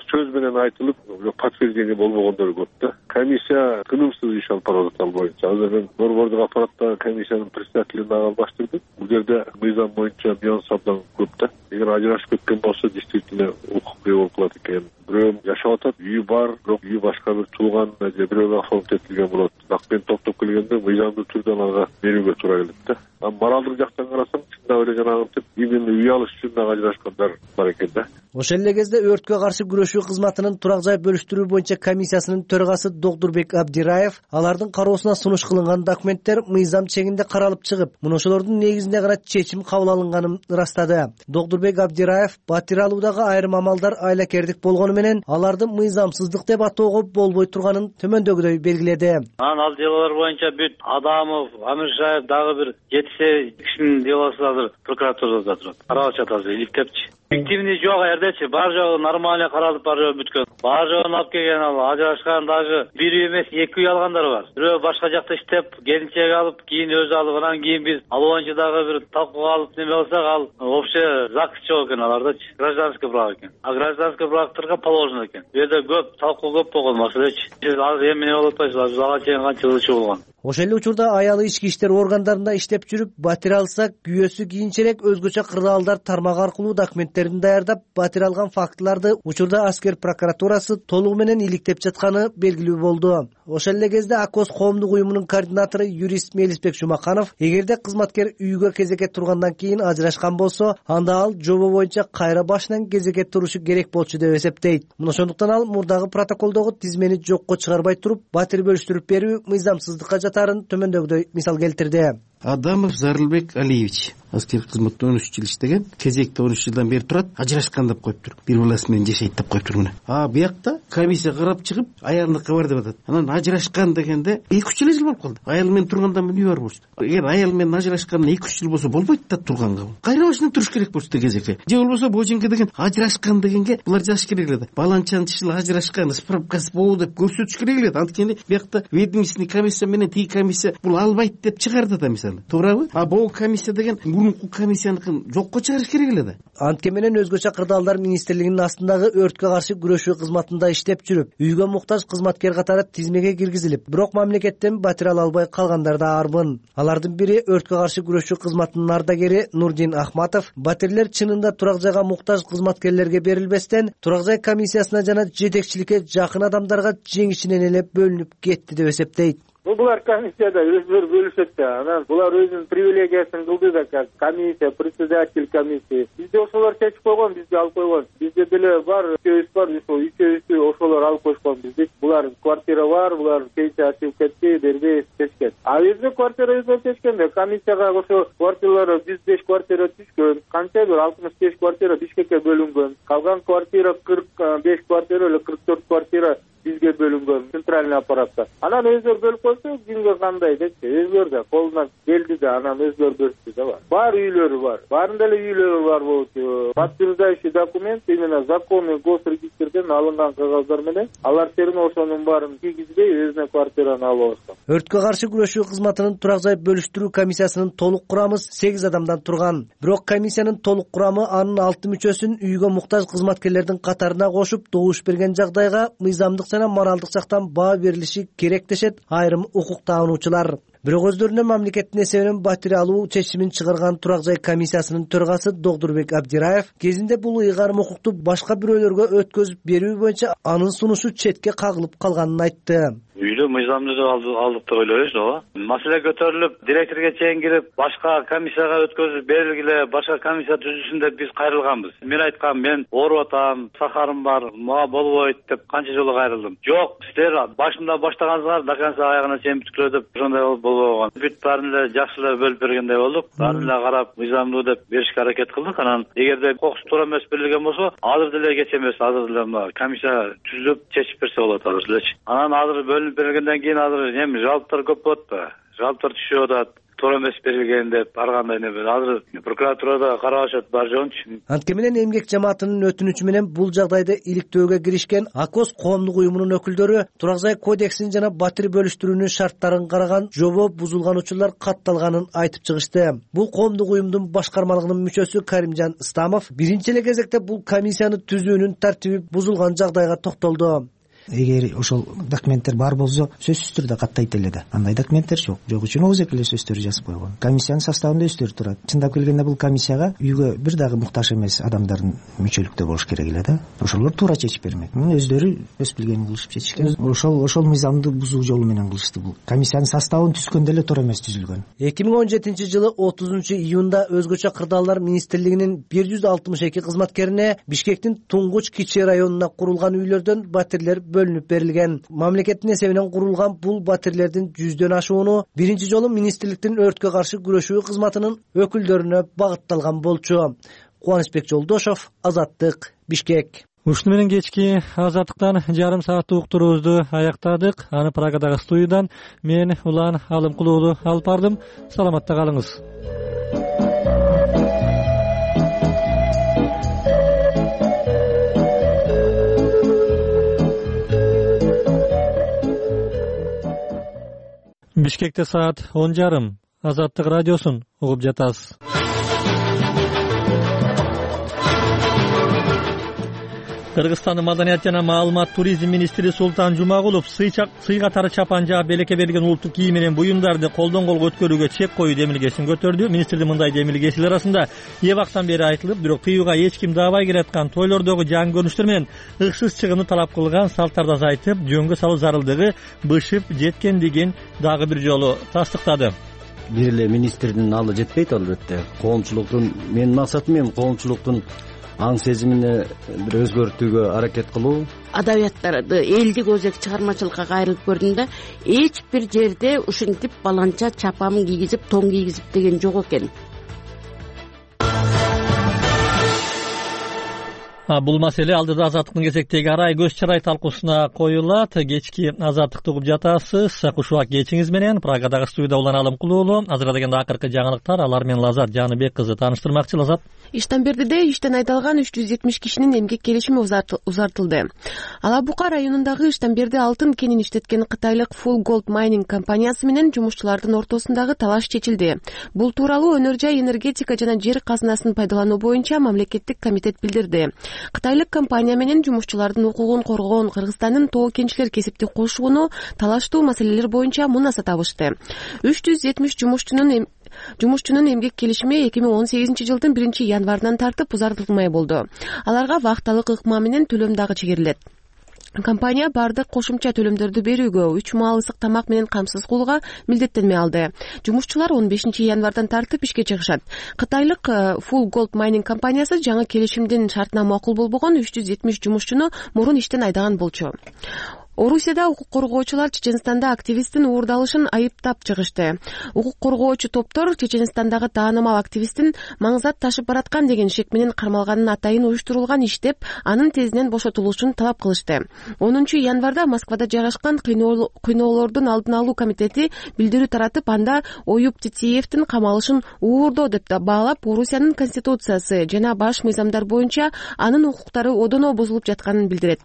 сөз менен айтылып, подтверждение болбогондор көп да. Комиссия тынымсыз иш алып барат ал боюнча. Азыр мен борбордук аппаратта комиссиянын председателин албаштырдым. Бул жерде мыйзам боюнча нюанс абдан көп да. Эгер ажырашып кеткен болсо, действительно укук болуп калат экен. бирөө жашап атат, үйү бар, бирок үйү башка бир тууган же бирөөгө окшолуп кетилген болот. Акпен топтоп келгенде мыйзамдуу түрдө аларга берүүгө туура келет да. А моралдык жактан карасаң, чындап эле жанагынтип именно үй алыш үчүн дагы ажырашкандар бар экен да. Ошол эле кезде өрткө каршы күрөшүү кызматынын турак жай бөлүштүрүү боюнча комиссиясынын төрагасы Докдурбек Абдираев алардын кароосуна сунуш кылынган документтер мыйзам чегинде каралып чыгып, мына ошолордун негизинде гана чечим кабыл алынганын ырастады. Докдурбек Абдираев батир алуудагы айрым амалдар айлакердик болгону менен аларды мыйзамсыздык деп атоого болбой турганын төмөндөгүдөй белгиледи. Анан ал делолор боюнча бүт Адамов, Амиршаев дагы бир жети кишинин делосу азыр прокуратурада турат. Каралып жатат азыр иликтепчи. Фиктивный жок эрдечи, бар жогу нормально каралып бар жогу бүткөн. Бар жогун алып келген, ал ажырашкан дагы бир үй эмес эки үй алгандар бар. Бирөө башка жакта иштеп, келинчек алып, кийин өзү алып, анан кийин биз ал боюнча дагы бир талкууга алып неме кылсак, ал общий закыс жок экен алардачы. Гражданский брак экен. А гражданский брактарга положено экен. Бу жерде көп талкуу көп болгон маселечи. Сиз азыр эми эмне болуп атпайсызбы? Биз ага чейин канча ылчы болгон. Ошол эле учурда аялы ички иштер органдарында иштеп жүрүп, батир алса, күйөөсү кийинчерээк өзгөчө кырдаалдар тармагы аркылуу документтерин даярдап, батир алган фактыларды учурда аскер прокуратурасы толугу менен иликтеп жатканы белгилүү болду. Ошол эле кезде АКОС коомдук уюмунун координатору юрист Мелисбек Жумаканов, эгерде кызматкер үйгө кезекке тургандан кийин ажырашкан болсо, анда ал жобо боюнча кайра башынан кезекке турушу керек болчу деп эсептейт. Мына ошондуктан ал мурдагы протоколдогу тизмени жокко чыгарбай туруп, батир бөлүштүрүп берүү мыйзамсыздыкка жатарын төмөндөгүдөй мисал келтирди. Адамов Зарылбек Алиевич аскер кызматта он үч жыл иштеген, кезекте он үч жылдан бери турат, ажырашкан деп коюптур. Бир баласы менен жашайт деп коюптур мына. А буякта комиссия карап чыгып, аялыныка бар деп атат. Анан ажырашкан дегенде эки үч жыл болуп калды. Аял менен тургандан үй бар болчу. Эгер аял менен ажырашкандан эки үч жыл болсо болбойт да турганга. Кайра башынан туруш керек болчу да кезекке. Же болбосо боженке деген ажырашкан дегенге булар жазыш керек эле да. Баланчанчы жыл ажырашкан, справкасы болду деп көрсөтүш керек эле. Анткени буякта ведомственный комиссия менен тиги комиссия бул албайт деп чыгарды да мисалы. Туурабы? А бул комиссия деген мурунку комиссияныкын жокко чыгарыш керек эле да. Антке менен өзгөчө кырдаалдар министрлигинин астындагы өрткө каршы күрөшүү кызматында иштеп жүрүп, үйгө муктаж кызматкер катары тизмеге киргизилип, бирок мамлекеттен батир ала албай калгандар да арбын. Алардын бири өрткө каршы күрөшүү кызматынын ардагери Нурдин Ахматов, батирлер чынында турак жайга муктаж кызматкерлерге берилбестен, турак жай комиссиясына жана жетекчиликке жакын адамдарга жеңишинен эле бөлүнүп кетти деп эсептейт. Булар комиссияда өздөрү бөлүшөт да, анан булар өзүнүн привилегиясын кылды да, как комиссия, председатель комиссии. Бизде ошолор чечип койгон, бизге алып койгон. Бизде деле бар, үчөөбүз бар, ошол үчөөбүздү ошолор алып коюшкан бизди. Булар квартира бар, булар пенсия ачып кетти, бербей чечкен. А бизде квартира өздөрү чечкен да, комиссияга ошо квартиралар жүз беш квартира түшкөн. Канча бир алтымыш беш квартира Бишкекке бөлүнгөн. Калган квартира кырк беш квартира эле кырк төрт квартира бизге бөлүнгөн центральный аппаратта. Анан өздөрү бөлүп койсо, кимге кандай депчи, өздөрү да колунан келди да, анан өздөрү бөлүштү да бар. Бар үйлөрү бар. Баарында эле үйлөрү бар болчу. Подтверждающий документ именно законный госрегистрден алынган кагаздар менен алар терме ошонун баарын кийгизбей өзүнө квартираны алып алышкан. Өрткө каршы күрөшүү кызматынын турак жай бөлүштүрүү комиссиясынын толук курамы сегиз адамдан турган. Бирок комиссиянын толук курамы анын алты мүчөсүн үйгө муктаж кызматкерлердин катарына кошуп, добуш берген жагдайга мыйзамдык жана моралдык жактан баа берилиши керек дешет айрым укук таануучулар. Бирок өздөрүнө мамлекеттин эсебинен батир алуу чечимин чыгарган турак жай комиссиясынын төрагасы Докдурбек Абдираев кезинде бул ыйгарым укукту башка бирөөлөргө өткөзүп берүү боюнча анын сунушу четке кагылып калганын айтты. Үйлө мыйзамды деп алдык деп ойлойбуз, ооба. Маселе көтөрүлүп, директорго чейин кирип, башка комиссияга өткөзүп берилгиле, башка комиссия түзүлсүн деп биз кайрылганбыз. Мен айткам, мен ооруп атам, сахарым бар, мага болбойт деп канча жолу кайрылдым. Жок, силер башында баштагансыңар, до конца аягына чейин бүткүлө деп ошондой болбогон. Бүт баарын эле жакшы эле бөлүп бергендей болдук. Баарын эле карап, мыйзамдуу деп беришке аракет кылдык. Анан эгерде кокус туура эмес берилген болсо, азыр деле кеч эмес, азыр деле комиссия түзүлүп чечип берсе болот азыр делечи. Анан азыр бөлүнүп бергенден кийин азыр эми жалптар көп болот да. Жалптар түшүп атат. Туура эмес берилген деп ар кандай неме азыр прокуратурада карап атышат бар жоончу. Антке менен эмгек жамаатынын өтүнүчү менен бул жагдайды иликтөөгө киришкен АКОС коомдук уюмунун өкүлдөрү турак жай кодексин жана батир бөлүштүрүүнүн шарттарын караган жобо бузулган учурлар катталганын айтып чыгышты. Бул коомдук уюмдун башкармалыгынын мүчөсү Каримжан Ыстамов биринчи эле кезекте бул комиссияны түзүүнүн тартиби бузулган жагдайга токтолду. эгер ошол документтер бар болсо сөзсүз түрдө каттайт эле да. Андай документтер жок. Жок үчүн ооз эле сөздөрү жазып койгон. Комиссиянын составында өздөрү турат. Чындап келгенде бул комиссияга үйгө бир дагы муктаж эмес адамдардын мүчөлүктө болуш керек эле да. Ошолор туура чечип бермек. Өздөрү өз билгенин кылышып чечишкен. Ошол ошол мыйзамды бузуу жолу менен кылышты бул. Комиссиянын составын түзгөндө эле туура эмес түзүлгөн. эки миң он жетинчи жылы отузунчу июнда өзгөчө кырдаалдар министрлигинин бир жүз алтымыш эки кызматкерине Бишкектин Туңгуч кичи районуна курулган үйлөрдөн батирлер бөлүнүп берилген. Мамлекеттин эсебинен курулган бул батирлердин жүздөн ашууну биринчи жолу министрликтин өрткө каршы күрөшүү кызматынын өкүлдөрүнө багытталган болчу. Кубанычбек Жолдошов, Азаттык, Бишкек. Ушуну менен кечки Азаттыктан жарым сааттык уктуруубузду аяктадык. Аны Прагадагы студиядан мен Улан Алымкулуулу алып бардым. Саламатта калыңыз. Бишкекте саат он жарым. Азаттык радиосун угуп жатасыз. Кыргызстандын маданият жана маалымат туризм министри Султан Жумагулов сый катары чапан жаап белекке берилген улуттук кийим менен буюмдарды колдон колго өткөрүүгө чек коюу демилгесин көтөрдү. Министрдин мындай демилгесилер арасында эбактан бери айтылып, бирок тыюуга эч ким даабай келаткан тойлордогу жаңы көрүнүштөр менен ыксыз чыгымды талап кылган салттарды азайтып, жөнгө салуу зарылдыгы бышып жеткендигин дагы бир жолу тастыктады. Бир эле министрдин алы жетпейт албетте. Коомчулуктун менин максатым эми коомчулуктун аң сезимине бир өзгөртүүгө аракет кылуу. Адабияттарды элдик өзек чыгармачылыкка кайрылып көрдүм да, эч бир жерде ушинтип баланча чапам кийгизип, тоң кийгизип деген жок экен. Бул маселе алдыда Азаттыктын кезектеги арай көз чарай талкуусуна коюлат. Кечки Азаттыкты угуп жатасыз. Кушубак кечиңиз менен Прагадагы студияда Улан Алымкулуулу. Азыркы дегенде акыркы жаңылыктар, алар менен Лазат Жаныбек кызы тааныштырмакчы. Лазат. Иштенбердиде иштен айдалган үч жүз жетимиш кишинин эмгек келишими узартылды. Ала Бука районундагы Иштенберди алтын кенин иштеткен кытайлык Full Gold Mining компаниясы менен жумушчулардын ортосундагы талаш чечилди. Бул тууралуу Өнөр жай энергетика жана жер казынасын пайдалануу боюнча мамлекеттик комитет билдирди. Кытайлык компания менен жумушчулардын укугун коргоон Кыргызстандын тоо кенчилер кесиптик кошууну талаштуу маселелер боюнча мунаса табышты. үч жүз жетимиш жумушчунун Жумушчунун эмгек келишими эки миң он сегизинчи жылдын биринчи январынан тартып узартылмай болду. Аларга вакталык ыкма менен төлөм дагы чегерилет. Компания бардык кошумча төлөмдөрдү берүүгө, үч маал ысык тамак менен камсыз кылууга милдеттенме алды. Жумушчулар он бешинчи январдан тартып ишке чыгышат. Кытайлык Full Gold Mining компаниясы жаңы келишимдин шартына макул болбогон үч жүз жетимиш жумушчуну мурун иштен айдаган болчу. Орусияда укук коргоочулар Чеченстанда активисттин уурдалышын айыптап чыгышты. Укук коргоочу топтор Чеченстандагы таанымал активисттин маңзат ташып бараткан деген шек менен кармалганын атайын уюштурулган иштеп, анын тезинен бошотулушун талап кылышты. онунчу январда Москвада жайгашкан кыйноолордун алдын алуу комитети билдирүү таратып, анда Оюп Титиевдин камалышын уурдоо деп баалап, Орусиянын конституциясы жана баш мыйзамдар боюнча анын укуктары одоно бузулуп жатканын билдирет.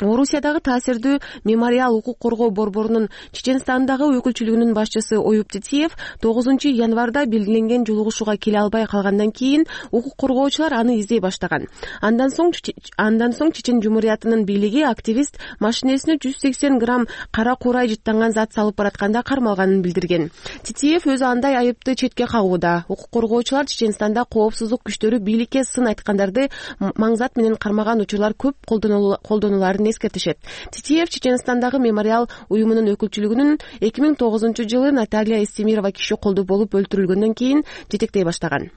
Орусиядагы таасирдүү мемориал укук коргоо борборунун Чеченстандагы өкүлчүлүгүнүн башчысы Оюп Титиев тогузунчу январда белгиленген жолугушууга келе албай калгандан кийин укук коргоочулар аны издей баштаган. Андан соң андан соң Чечен Жумуриятынын бийлиги активист машинесине жүз сексен грамм кара курай жыттанган зат салып баратканда кармалганын билдирген. Титиев өзү андай айыпты четке кагууда. Укук коргоочулар Чеченстанда коопсуздук күчтөрү бийликке сын айткандарды маңзат менен кармаган учурлар көп колдонуларын эскертишет. Титиев Чеченстандагы мемориал уюмунун өкүлчүлүгүнүн эки миң тогузунчу жылы Наталья Истемирова киши колду болуп өлтүрүлгөндөн кийин жетектей баштаган.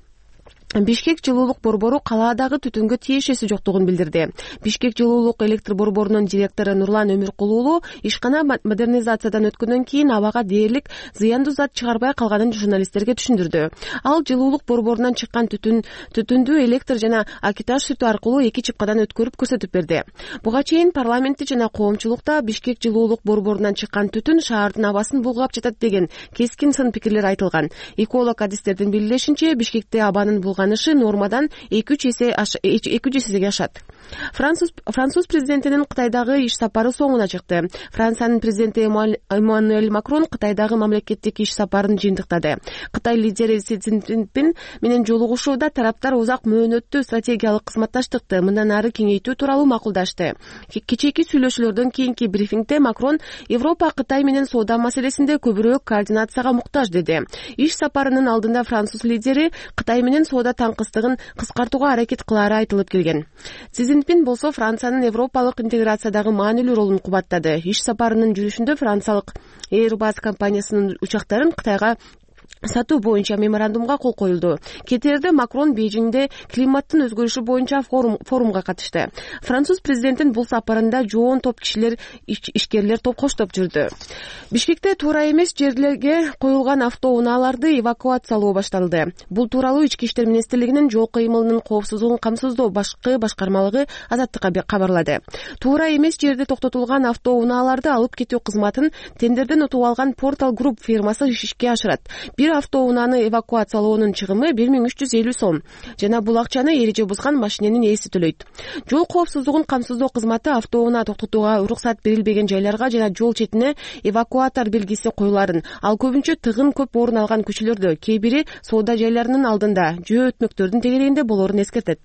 Бишкек жылуулук борбору калаадагы түтүнгө тиешеси жоктугун билдирди. Бишкек жылуулук электр борборунун директору Нурлан Өмүркулуулу ишкана модернизациядан өткөндөн кийин абага дээрлик зыяндуу зат чыгарбай калганын журналисттерге түшүндүрдү. Ал жылуулук борборунан чыккан түтүн түтүндү электр жана акиташ сүтү аркылуу эки чыпкадан өткөрүп көрсөтүп берди. Буга чейин парламентте жана коомчулукта Бишкек жылуулук борборунан чыккан түтүн шаардын абасын булгап жатат деген кескин сын пикирлер айтылган. Эколог адистердин билдиришинче, Бишкекте абанын булгап кызганышы нормадан эки үч эсе эки жүз эсеге ашат. Француз француз президентинин Кытайдагы иш сапары соңуна чыкты. Франциянын президенти Эммануэль Макрон Кытайдагы мамлекеттик иш сапарын жыйынтыктады. Кытай лидери Си Цзиньпин менен жолугушууда тараптар узак мөөнөттүү стратегиялык кызматташтыкты мындан ары кеңейтүү тууралуу макулдашты. Кечээки сүйлөшүүлөрдөн кийинки брифингде Макрон Европа Кытай менен соода маселесинде көбүрөөк координацияга муктаж деди. Иш сапарынын алдында француз лидери Кытай менен соода таңкыстыгын кыскартууга аракет кылаары айтылып келген. Си Цзиньпин болсо Франциянын европалык интеграциядагы маанилүү ролун кубаттады. Иш сапарынын жүрүшүндө франциялык Airbus компаниясынын учактарын Кытайга сатуу боюнча меморандумга кол коюлду. Кетээрде Макрон Бейжиңде климаттын өзгөрүшү боюнча форум форумга катышты. Француз президентин бул сапарында жоон топ кишилер, ишкерлер топ коштоп жүрдү. Бишкекте туура эмес жерлерге коюлган автоунааларды эвакуациялоо башталды. Бул тууралуу Ички иштер министрлигинин жол кыймылынын коопсуздугун камсыздоо башкы башкармалыгы Азаттыкка кабарлады. Туура эмес жерде токтотулган автоунааларды алып кетүү кызматын тендерден утуп алган Portal Group фирмасы ишке ашырат. Бир автоунааны эвакуациялоонун чыгымы бир миң үч жүз элүү сом жана бул акчаны эреже бузган машиненин ээси төлөйт. Жол коопсуздугун камсыздоо кызматы автоунаа токтотууга уруксат берилбеген жайларга жана жол четине эвакуатор белгиси коюларын, ал көбүнчө тыгын көп орун алган көчөлөрдө, кээ бири соода жайларынын алдында, жөө өтмөктөрдүн тегерегинде болоорун эскертет.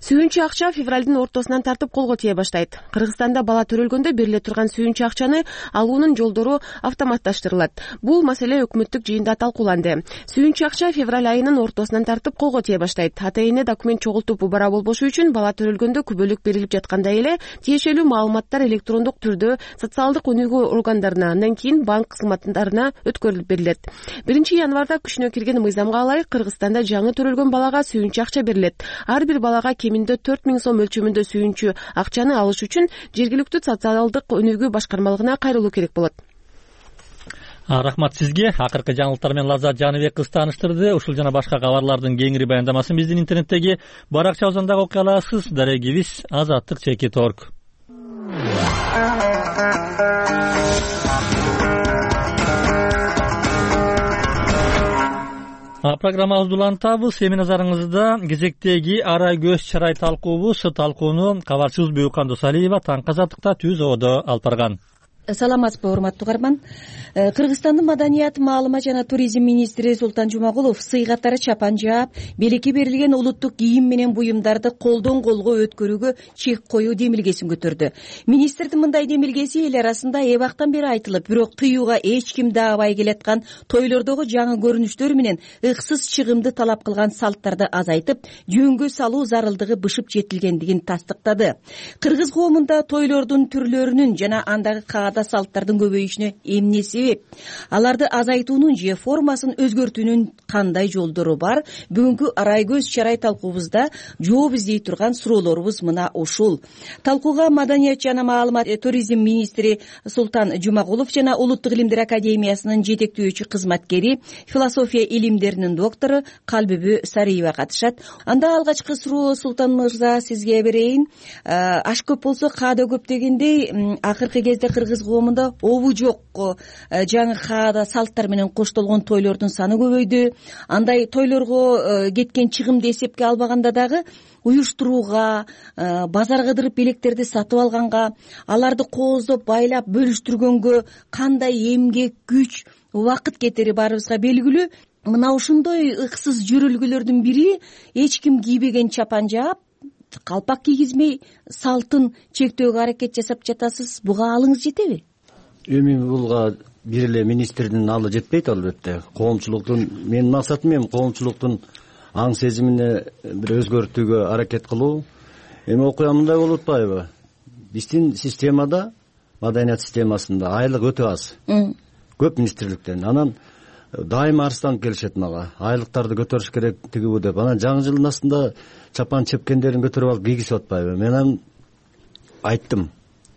Сүйүнчү акча февралдын ортосунан тартып колго тие баштайт. Кыргызстанда бала төрөлгөндө бериле турган сүйүнчү акчаны алуунун жолдору автоматташтырылат. Бул маселе өкмөттүк жыйында талкууланды. Сүйүнчү акча февраль айынын ортосунан тартып колго тие баштайт. Ата-эне документ чогултуп убара болбошу үчүн бала төрөлгөндө күбөлүк берилип жаткандай эле тиешелүү маалыматтар электрондук түрдө социалдык өнүгүү органдарына, андан кийин банк кызматтарына өткөрүлүп берилет. биринчи январда күчүнө кирген мыйзамга ылайык Кыргызстанда жаңы төрөлгөн балага сүйүнчү акча берилет. Ар бир бала кеминде төрт миң сом өлчөмүндө сүйүнчү акчаны алыш үчүн жергиликтүү социалдык өнүгүү башкармалыгына кайрылуу керек болот. Рахмат сизге. Акыркы жаңылыктар менен Лаззат Жаныбек кыз тааныштырды. Ушул жана башка кабарлардын кеңири баяндамасын биздин интернеттеги баракча озондогу окуя аласыз. Дарегибиз Азаттык чекит точка орг. Программабызды улантабыз. Эми назарыңызда кезектеги ара көз чарай талкуубуз. Талкууну кабарчыбыз Бөйкан Досалиева Таң Азаттыкта түзүүдө алып барган. Саламатсызбы, урматтуу угарман. Кыргызстандын маданият, маалыма жана туризм министри Султан Жумагулов сый катары чапан жаап, белекке берилген улуттук кийим менен буюмдарды колдон колго өткөрүүгө чек коюу демилгесин көтөрдү. Министрдин мындай демилгеси эл арасында эбактан бери айтылып, бирок тыюуга эч ким даабай келаткан тойлордогу жаңы көрүнүштөр менен ыксыз чыгымды талап кылган салттарды азайтып, жөнгө салуу зарылдыгы бышып жетилгендигин тастыктады. Кыргыз коомунда тойлордун түрлөрүнүн жана андагы каада салттардын көбөйүшүнө эмне себеп? Аларды азайтуунун же формасын өзгөртүүнүн кандай жолдору бар? Бүгүнкү арай көз чарай талкуубузда жооп издей турган суроолорубуз мына ушул. Талкууга маданият жана маалымат туризм министри Султан Жумагулов жана Улуттук илимдер академиясынын жетектөөчү кызматкери, философия илимдеринин доктору Калбүбү Сариева катышат. Анда алгачкы суроо Султан мырза сизге берейин. Аш көп болсо каада көп дегендей, акыркы кезде кыргыз коомунда обу жок жаңы каада салттар менен коштолгон тойлордун саны көбөйдү. Андай тойлорго кеткен чыгымды эсепке албаганда дагы уюштурууга, базар кыдырып белектерди сатып алганга, аларды кооздоп байлап бөлүштүргөнгө кандай эмгек, күч, убакыт кетери баарыбызга белгилүү. Мына ушундой ыксыз жөрөлгөлөрдүн бири эч ким кийбеген чапан жаап, калпак кийгизмей салтын чектөөгө аракет жасап жатасыз. Буга алыңыз жетеби? Эми булга бир эле министрдин алы жетпейт албетте. Коомчулуктун менин максатым эми коомчулуктун аң сезимине бир өзгөртүүгө аракет кылуу. Эми окуя мындай болуп атпайбы? Биздин системада, маданият системасында айлык өтө аз. Көп министрликтен. Анан дайыма арызданып келишет мага. Айлыктарды көтөрүш керек тигибу деп. Анан жаңы жылдын астында чапан чепкендерин көтөрүп алып кийгизип атпайбы? Мен анан айттым.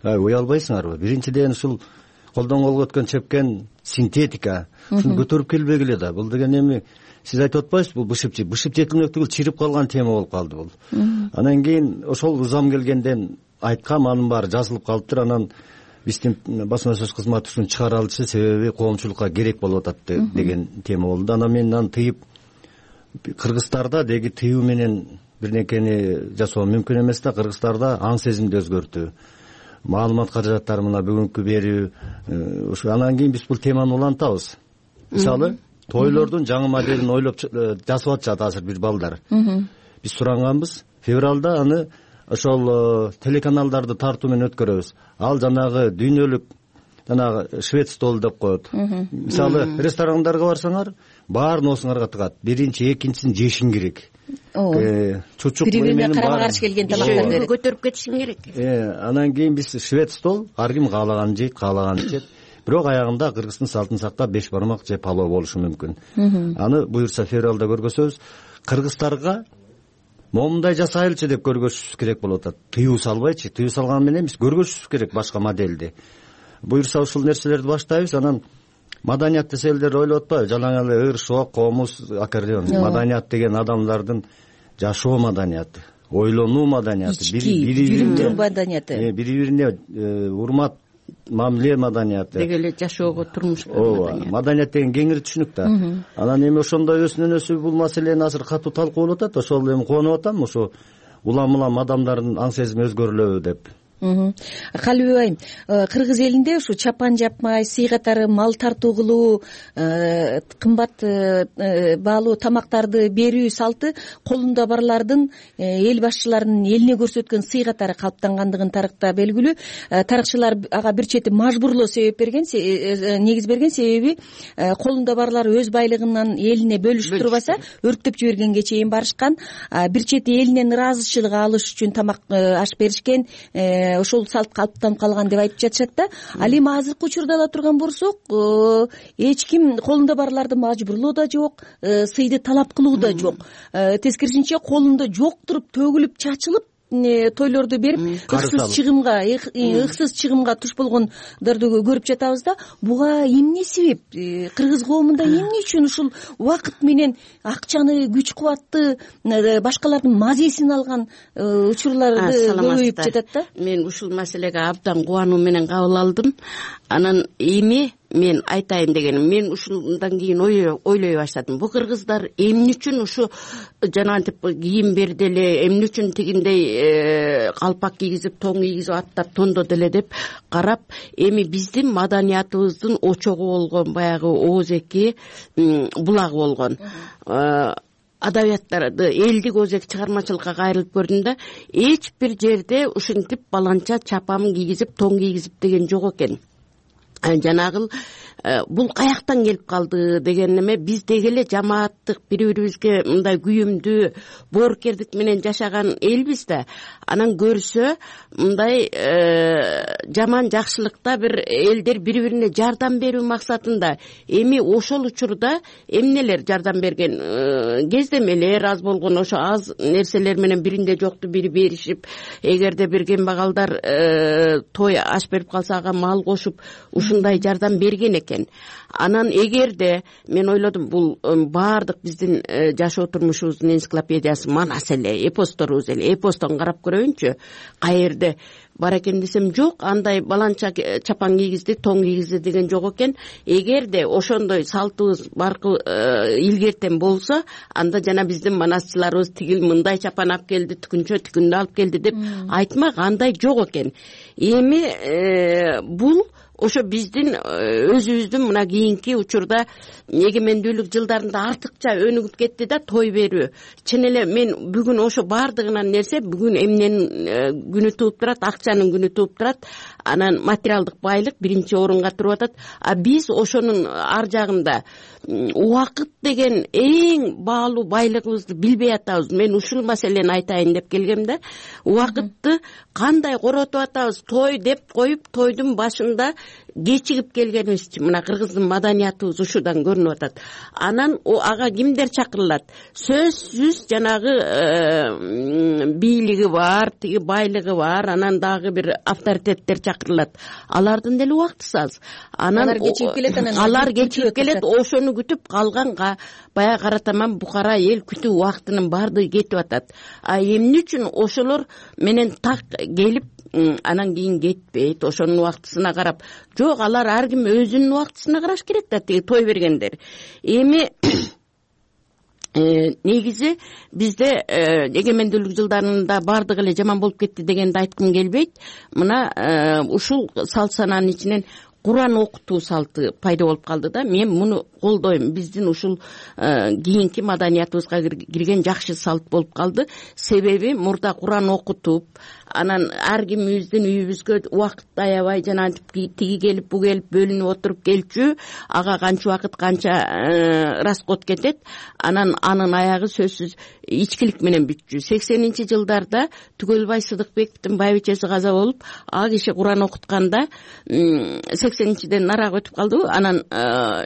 Ай, уялбайсыңарбы? Биринчиден ушул колдон колго өткөн чепкен синтетика. Шуну көтөрүп келбегиле да. Бул деген эми сиз айтып атпайсызбы? Бул бышып, бышып жетилмектүү, чирип калган тема болуп калды бул. Анан кийин ошол узам келгенден айткам, анын баары жазылып калыптыр. Анан биздин басма сөз кызматы ушуну чыгара алчу, себеби коомчулукка керек болуп атат деген тема болду. Анан мен аны тыйып Кыргызстарда деги тыюу менен бирнекени жасоо мүмкүн эмес да. Кыргызстарда аң сезимди өзгөртүү, маалымат каражаттары мына бүгүнкү берүү, ушу анан кийин биз бул теманы улантабыз. Мисалы тойлордун жаңы моделин ойлоп жасап атышат азыр бир балдар. Биз суранганбыз, февралда аны ошол телеканалдарды тартуу менен өткөрөбүз. Ал жанагы дүйнөлүк жанагы швед стол деп коет. Мисалы ресторандарга барсаңар, баарын оосуңарга тыгат. Биринчи, экинчисин жешиң керек. Чучук бири-бирине карама каршы келген тамактарды көтөрүп кетишиң керек. Анан кийин биз швед стол, ар ким каалаганын жейт, каалаганын ичет. Бирок аягында Кыргыздын салтын сактап беш бармак же палоо болушу мүмкүн. Аны буюрса февралда көргөзөбүз. Кыргыздарга момундай жасайлычы деп көргөзүшүбүз керек болуп атат. Тыюу салбайчы, тыюу салган менен биз көргөзүшүбүз керек башка моделди. Буюрса ушул нерселерди баштайбыз. Анан маданият десе элдер ойлоп атпайбы? Жалаң эле ыр, шок, комуз, аккордеон. Маданият деген адамдардын жашоо маданияты, ойлонуу маданияты, бири-бирине маданияты, бири-бирине урмат, мамиле маданияты. Деги эле жашоого, турмушка маданият. Маданият деген кеңири түшүнүк да. Анан эми ошондой өзүнөн өзү бул маселени азыр катуу талкуулап атат. Ошол эми кубанып атам, ошо улам-улам адамдардын аң сезими өзгөрүлөбү деп. Калыбек айым, кыргыз элинде ушу чапан жапмай, сый катары мал тартуу кылуу, кымбат баалуу тамактарды берүү салты колунда барлардын, эл башчыларынын элине көрсөткөн сый катары калыптангандыгын тарыхта белгилүү. Тарыхчылар ага бир чети мажбурлоо себеп берген, негиз берген, себеби колунда барлар өз байлыгынан элине бөлүшүп турбаса, өрктөп жибергенге чейин барышкан. Бир чети элинен ыраазычылык алыш үчүн тамак аш беришкен. Ошол салт калыптанып калган деп айтып жатышат да. Ал эми азыркы учурда ала турган болсок, эч ким колунда барларды мажбурлоо да жок, сыйды талап кылуу да жок. Тескерисинче колунда жок туруп төгүлүп чачылып тойлорду берип ыксыз чыгымга ыксыз чыгымга туш болгондорду көрүп жатабыз да. Буга эмне себеп? Кыргыз коомунда эмне үчүн ушул убакыт менен акчаны, күч кубатты, башкалардын мазесин алган учурларды көбөйүп жатат да? Мен ушул маселеге абдан кубануу менен кабыл алдым. Анан эми мен айтайын дегеним, мен ушундан кийин ойлой баштадым. Бу кыргыздар эмне үчүн ушу жанагынтип кийим берди эле, эмне үчүн тигиндей калпак кийгизип, тоң кийгизип, аттап тондоду эле деп карап, эми биздин маданиятыбыздын очогу болгон баягы оозеки булагы болгон. Адабияттарды, элдик өзек чыгармачылыкка кайрылып көрдүм да, эч бир жерде ушинтип баланча чапам кийгизип, тоң кийгизип деген жок экен. Жанагыл бул каяктан келип калды деген эме, биз деги эле жамааттык, бири-бирибизге мындай күйүмдүү, боорукердик менен жашаган элбиз да. Анан көрсө мындай жаман жакшылыкта бир элдер бири-бирине жардам берүү максатында. Эми ошол учурда эмнелер жардам берген? Кездемелер аз болгон, ошо аз нерселер менен биринде жокту бири беришип, эгерде бир кембагалдар той аш берип калса ага мал кошуп, ушундай жардам берген экен. Анан эгерде мен ойлодум, бул баардык биздин жашоо турмушубуздун энциклопедиясы манас эле, эпосторубуз эле, эпостон карап көрөйүнчү, каерде бар экен десем, жок, андай баланча чапан кийгизди, тоң кийгизди деген жок экен. Эгерде ошондой салтыбыз баркы илгертен болсо, анда жана биздин манасчыларыбыз тигил мындай чапан алып келди, түкүнчө тигинди алып келди деп айтмак, андай жок экен. Эми бул ошо биздин өзүбүздүн мына кийинки учурда эгемендүүлүк жылдарында артыкча өнүгүп кетти да той берүү. Чын эле мен бүгүн ошо баардыгынан нерсе бүгүн эмненин күнү тууп турат, акчанын күнү тууп турат. Анан материалдык байлык биринчи орунга туруп атат. А биз ошонун ар жагында убакыт деген эң баалуу байлыгыбызды билбей атабыз. Мен ушул маселени айтайын деп келгем да. Убакытты кандай коротуп атабыз? Той деп коюп, тойдун башында кечигип келгенибизчи, мына кыргыздын маданиятыбыз ушудан көрүнүп атат. Анан ага кимдер чакырылат? Сөзсүз жанагы бийлиги бар, тиги байлыгы бар, анан дагы бир авторитеттер чакырылат. Алардын деле убактысы аз. Анан алар кечигип келет, анан алар кечигип келет, ошону күтүп калганга баягы каратаман букара эл күтүү убактынын баардыгы кетип атат. А эмне үчүн ошолор менен так келип анан кийин кетпейт, ошонун убактысына карап? Жок, алар ар ким өзүнүн убактысына караш керек да, тиги той бергендер. Эми негизи бизде эгемендүүлүк жылдарында баардыгы эле жаман болуп кетти дегенди айткым келбейт. Мына ушул салт санаанын ичинен Куран окутуу салты пайда болуп калды да. Мен муну колдойм. Биздин ушул кийинки маданиятыбызга кирген жакшы салт болуп калды. Себеби мурда Куран окутуп, анан ар кимибиздин үйүбүзгө убакыт аябай жана тиги келип бу келип бөлүнүп отуруп келчү, ага канча убакыт канча расход кетет, анан анын аягы сөзсүз ичкилик менен бүтчү. сексенинчи жылдарда Түгөлбай Сыдыкбековдун байбичеси каза болуп, а киши Куран окутканда сексенинчиден нарак өтүп калды. Анан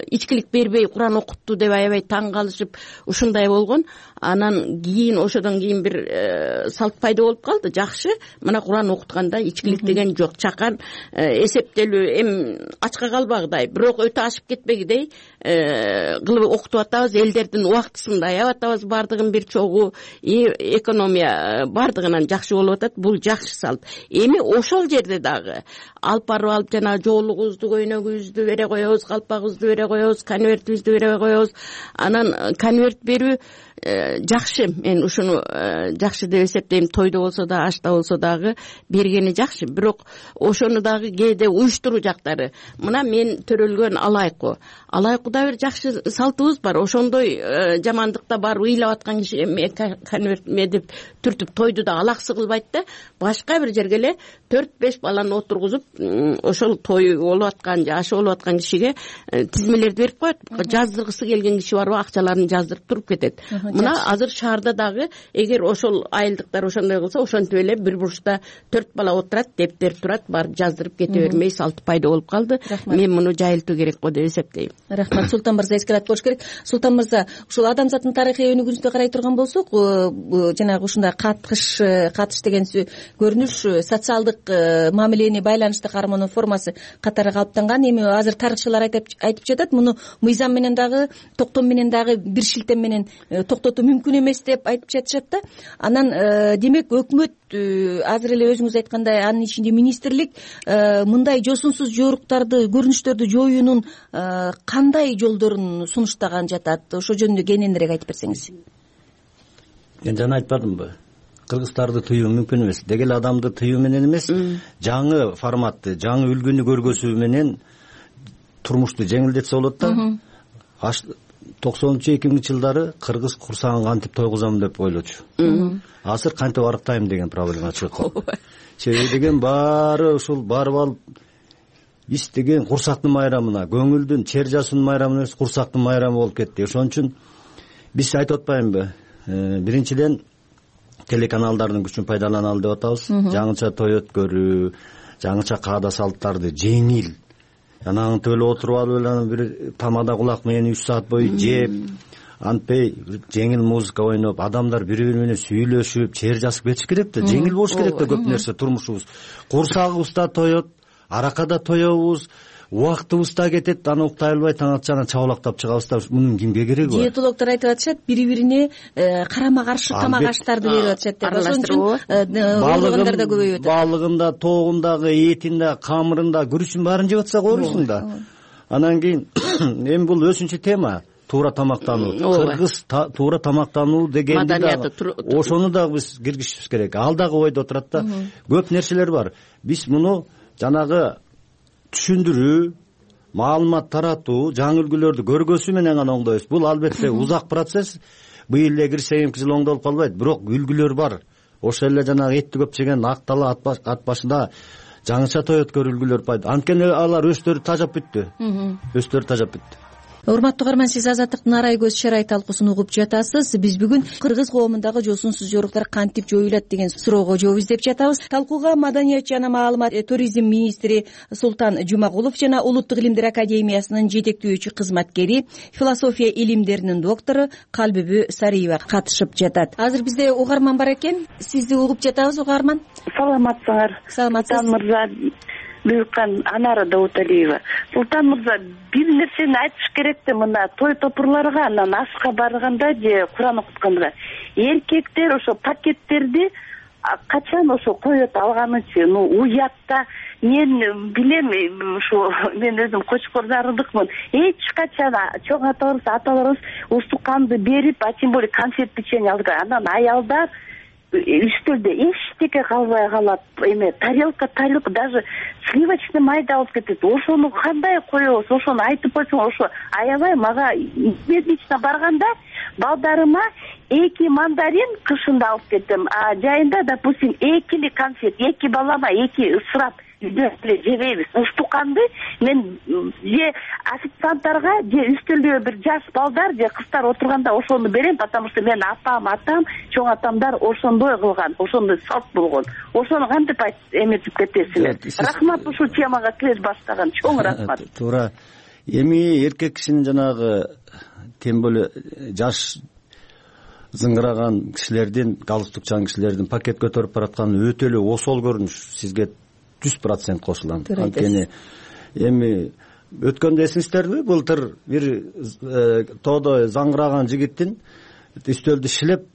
ичкилик бербей Куран окутту деп аябай таң калышып ушундай болгон. Анан кийин ошодон кийин бир салт пайда болуп калды. Жакшы, мына Куран окутканда ичкилик деген жок. Чакан эсептелүү эми ачка калбагыдай, бирок өтө ашып кетпегидей кылып окутуп атабыз. Элдердин убактысын да аябай атабыз, бардыгын бир чогуу, экономия бардыгынан жакшы болуп атат. Бул жакшы салт. Эми ошол жерде дагы алып барып алып жана жоолугубузду, көйнөгүбүздү бере коебуз, калпагыбызды бере коебуз, конвертибизди бере коебуз. Анан конверт берүү жакшы, мен ушуну жакшы деп эсептейм. Тойдо болсо да, ашта болсо дагы бергени жакшы. Бирок ошону дагы кээде уюштуруу жактары. Мына мен төрөлгөн алайку. Алайкуда бир жакшы салтыбыз бар. Ошондой жамандыкта барып ыйлап аткан киши конверт медип түртүп тойду да алаксы кылбайт да. Башка бир жерге эле төрт беш баланы отургузуп, ошол той болуп аткан же ашы болуп аткан кишиге тизмелерди берип коет. Жаздыргысы келген киши барбы, акчаларын жаздырып туруп кетет. Мына азыр шаарда дагы эгер ошол айылдыктар ошондой кылса, ошентип эле бир бурчта төрт бала отурат, дептер турат, барып жаздырып кете бермей салт пайда болуп калды. Мен муну жайылтуу керек го деп эсептейм. Рахмат. Султан мырза эскерат болуш керек. Султан мырза, ушул адамзаттын тарыхый өнүгүүсүнө карай турган болсок, жанагы ушундай катыш, катыш деген көрүнүш социалдык мамилени байланыштык гармонун формасы катары калыптанган. Эми азыр тарыхчылар айтып жатат, муну мыйзам менен дагы, токтом менен дагы бир шилтем менен токтотуу мүмкүн эмес деп айтып жатышат да. Анан демек өкмөт азыр эле өзүңүз айткандай, анын ичинде министрлик мындай жосунсуз жоруктарды, көрүнүштөрдү жоюунун кандай жолдорун сунуштаган жатат? Ошо жөнүндө кененирээк айтып берсеңиз. Мен жана айтпадымбы? Кыргыздарды тыюу мүмкүн эмес. Деги эле адамды тыюу менен эмес, жаңы форматты, жаңы үлгүнү көргөзүү менен турмушту жеңилдетсе болот да. токсонунчу эки миңинчи жылдары кыргыз курсагын кантип тойгузам деп ойлочу. Азыр кантип арыктайм деген проблема чыгып калды. Себеби деген баары ушул барып алып истеген курсактын майрамына, көңүлдүн, чер жасуунун майрамына эмес, курсактын майрамы болуп кетти. Ошон үчүн биз айтып атпаймынбы? Биринчиден телеканалдардын күчүн пайдаланалы деп атабыз. Жаңыча той өткөрүү, жаңыча каада салттарды жеңил, жанагы төлө отуруп алып эле бир тамада кулак менен үч саат бою жеп, антпей жеңил музыка ойноп, адамдар бири-бири менен сүйлөшүп, чер жасып кетиш керек да. Жеңил болуш керек да көп нерсе турмушубуз. Курсагыбыз да тоет, арака да тоебуз, убактыбыз да кетет, аны уктай албай таң атчана чабалактап чыгабыз да. Мунун кимге кереги бар? Диетологдор айтып атышат, бири-бирине карама каршы тамак аштарды берип атышат деп. Ошон үчүн оорукандар да көбөйүп атат. Балыгында, тоогундагы, этинде, камырында, күрүчүн баарын жеп атсак оорусуң да. Анан кийин эми бул өзүнчө тема. Туура тамактануу, кыргыз туура тамактануу дегенди да ошону дагы биз киргизишибиз керек. Ал дагы ойдо турат да. Көп нерселер бар. Биз муну жанагы түшүндүрүү, маалымат таратуу, жаңы үлгүлөрдү көргөзүү менен гана оңдойбуз. Бул албетте узак процесс. Быйыл эле кирсе эки жыл оңдолуп калбайт, бирок үлгүлөр бар. Ошол эле жанагы этти көп жеген актала ат башында жаңыча той өткөрүү үлгүлөр пайда. Анткени алар өздөрү тажап бүттү. Өздөрү тажап бүттү. Урматтуу угарман, сиз Азаттыктын арай көз шарай талкуусун угуп жатасыз. Биз бүгүн кыргыз коомундагы жосунсуз жоруктар кантип жоюлат деген суроого жооп издеп жатабыз. Талкууга маданият жана маалымат туризм министри Султан Жумагулов жана Улуттук илимдер академиясынын жетектөөчү кызматкери, философия илимдеринин доктору Калбүбү Сариева катышып жатат. Азыр бизде угарман бар экен. Сизди угуп жатабыз, угарман. Саламатсыңар? Саламатсыз. Султан мырза, Бүккан Анара Дауталиева. Султан мырза, бир нерсени айтыш керек да, мына той топурларга, анан ашка барганда же Куран окутканда эркектер ошо пакеттерди качан ошо коет алганычы, ну уятта мен билем ушу мен өзүм кочкор зарылдыкмын. Эч качан чоң аталарыбыз аталарыбыз устуканды берип, а тем более конфет печенье алды. Анан аялдар үстөлдө эчтеке калбай калат. Эме тарелка тарелка даже сливочный майды алып кетет. Ошону кандай коебуз? Ошону айтып койсоң, ошо аябай мага медична барганда балдарыма эки мандарин кышында алып кеттим. А жайында, допустим, экили конфет, эки балама эки ысырап үйдө эле жебейбиз. Устуканды мен же официанттарга, же үстөлдө бир жаш балдар же кыздар отурганда ошону берем, потому что мен атам, атам, чоң атамдар ошондой кылган, ошондой салт болгон. Ошону кантип эметип кетесиңер? Рахмат ушул темага кире баштаган. Чоң рахмат. Туура. Эми эркек кишинин жанагы тем более жаш зыңгыраган кишилердин, галстукчан кишилердин пакет көтөрүп бараткан өтө эле осол көрүнүш сизге жүз процент кошулам. Анткени эми өткөндө эсиңиздерби, былтыр бир тоодо заңгыраган жигиттин үстөлдү шилеп,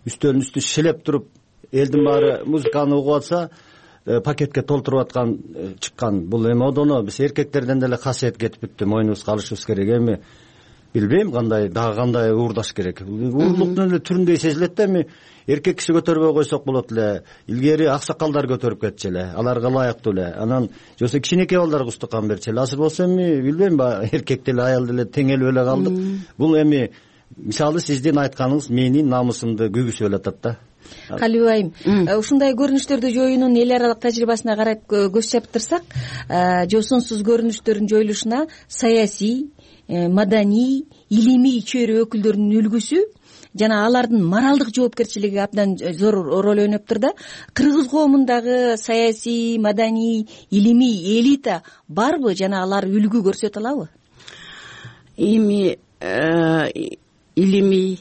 үстөлдүн үстү шилеп туруп, элдин баары музыканы угуп атса, пакетке толтуруп аткан чыккан. Бул эми одоно биз эркектерден деле касиет кетип бүттү, мойнубузга алышыбыз керек. Эми билбейм кандай, дагы кандай уурдаш керек. Уурлуктун эле түрүндөй сезилет да, эми эркек киши көтөрбөй койсок болот эле. Илгери аксакалдар көтөрүп кетчү эле, аларга ылайыктуу эле. Анан жоксо кичинекей балдарга устукан берчү эле. Азыр болсо эми билбейм, эркек деле аял деле тең эле эле калдык. Бул эми мисалы сиздин айтканыңыз менин намысымды көгүсүп атат да. Калибек айым, ушундай көрүнүштөрдү жоюунун эл аралык тажрыйбасына карап көз чаптырсак, жосунсуз көрүнүштөрдүн жоюлушуна саясий, маданий, илимий чөйрө өкүлдөрүнүн үлгүсү жана алардын моралдык жоопкерчилиги абдан зор роль ойноптур да. Кыргыз коомундагы саясий, маданий, илимий элита барбы жана алар үлгү көрсөтө алабы? Эми илимий,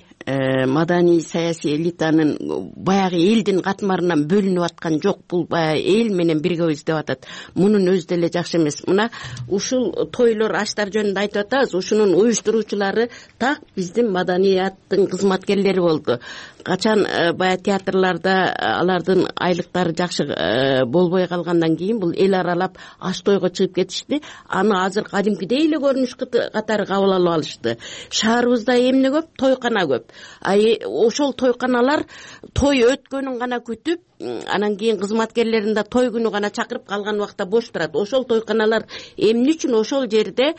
маданий, саясий элитанын баягы элдин катмарынан бөлүнүп аткан жок. Бул баягы эл менен биргебиз деп атат. Мунун өзү деле жакшы эмес. Мына ушул тойлор, аштар жөнүндө айтып атабыз. Ушунун уюштуруучулары так биздин маданияттын кызматкерлери болду. Качан баягы театрларда алардын айлыктары жакшы болбой калгандан кийин бул эл аралап аш тойго чыгып кетишти. Аны азыр кадимкидей эле көрүнүш катары кабыл алып алышты. Шаарыбызда эмне көп? Тойкана көп. Ошол тойканалар той өткөнүн гана күтүп, анан кийин кызматкерлерин да той күнү гана чакырып, калган убакта бош турат. Ошол тойканалар эмне үчүн ошол жерде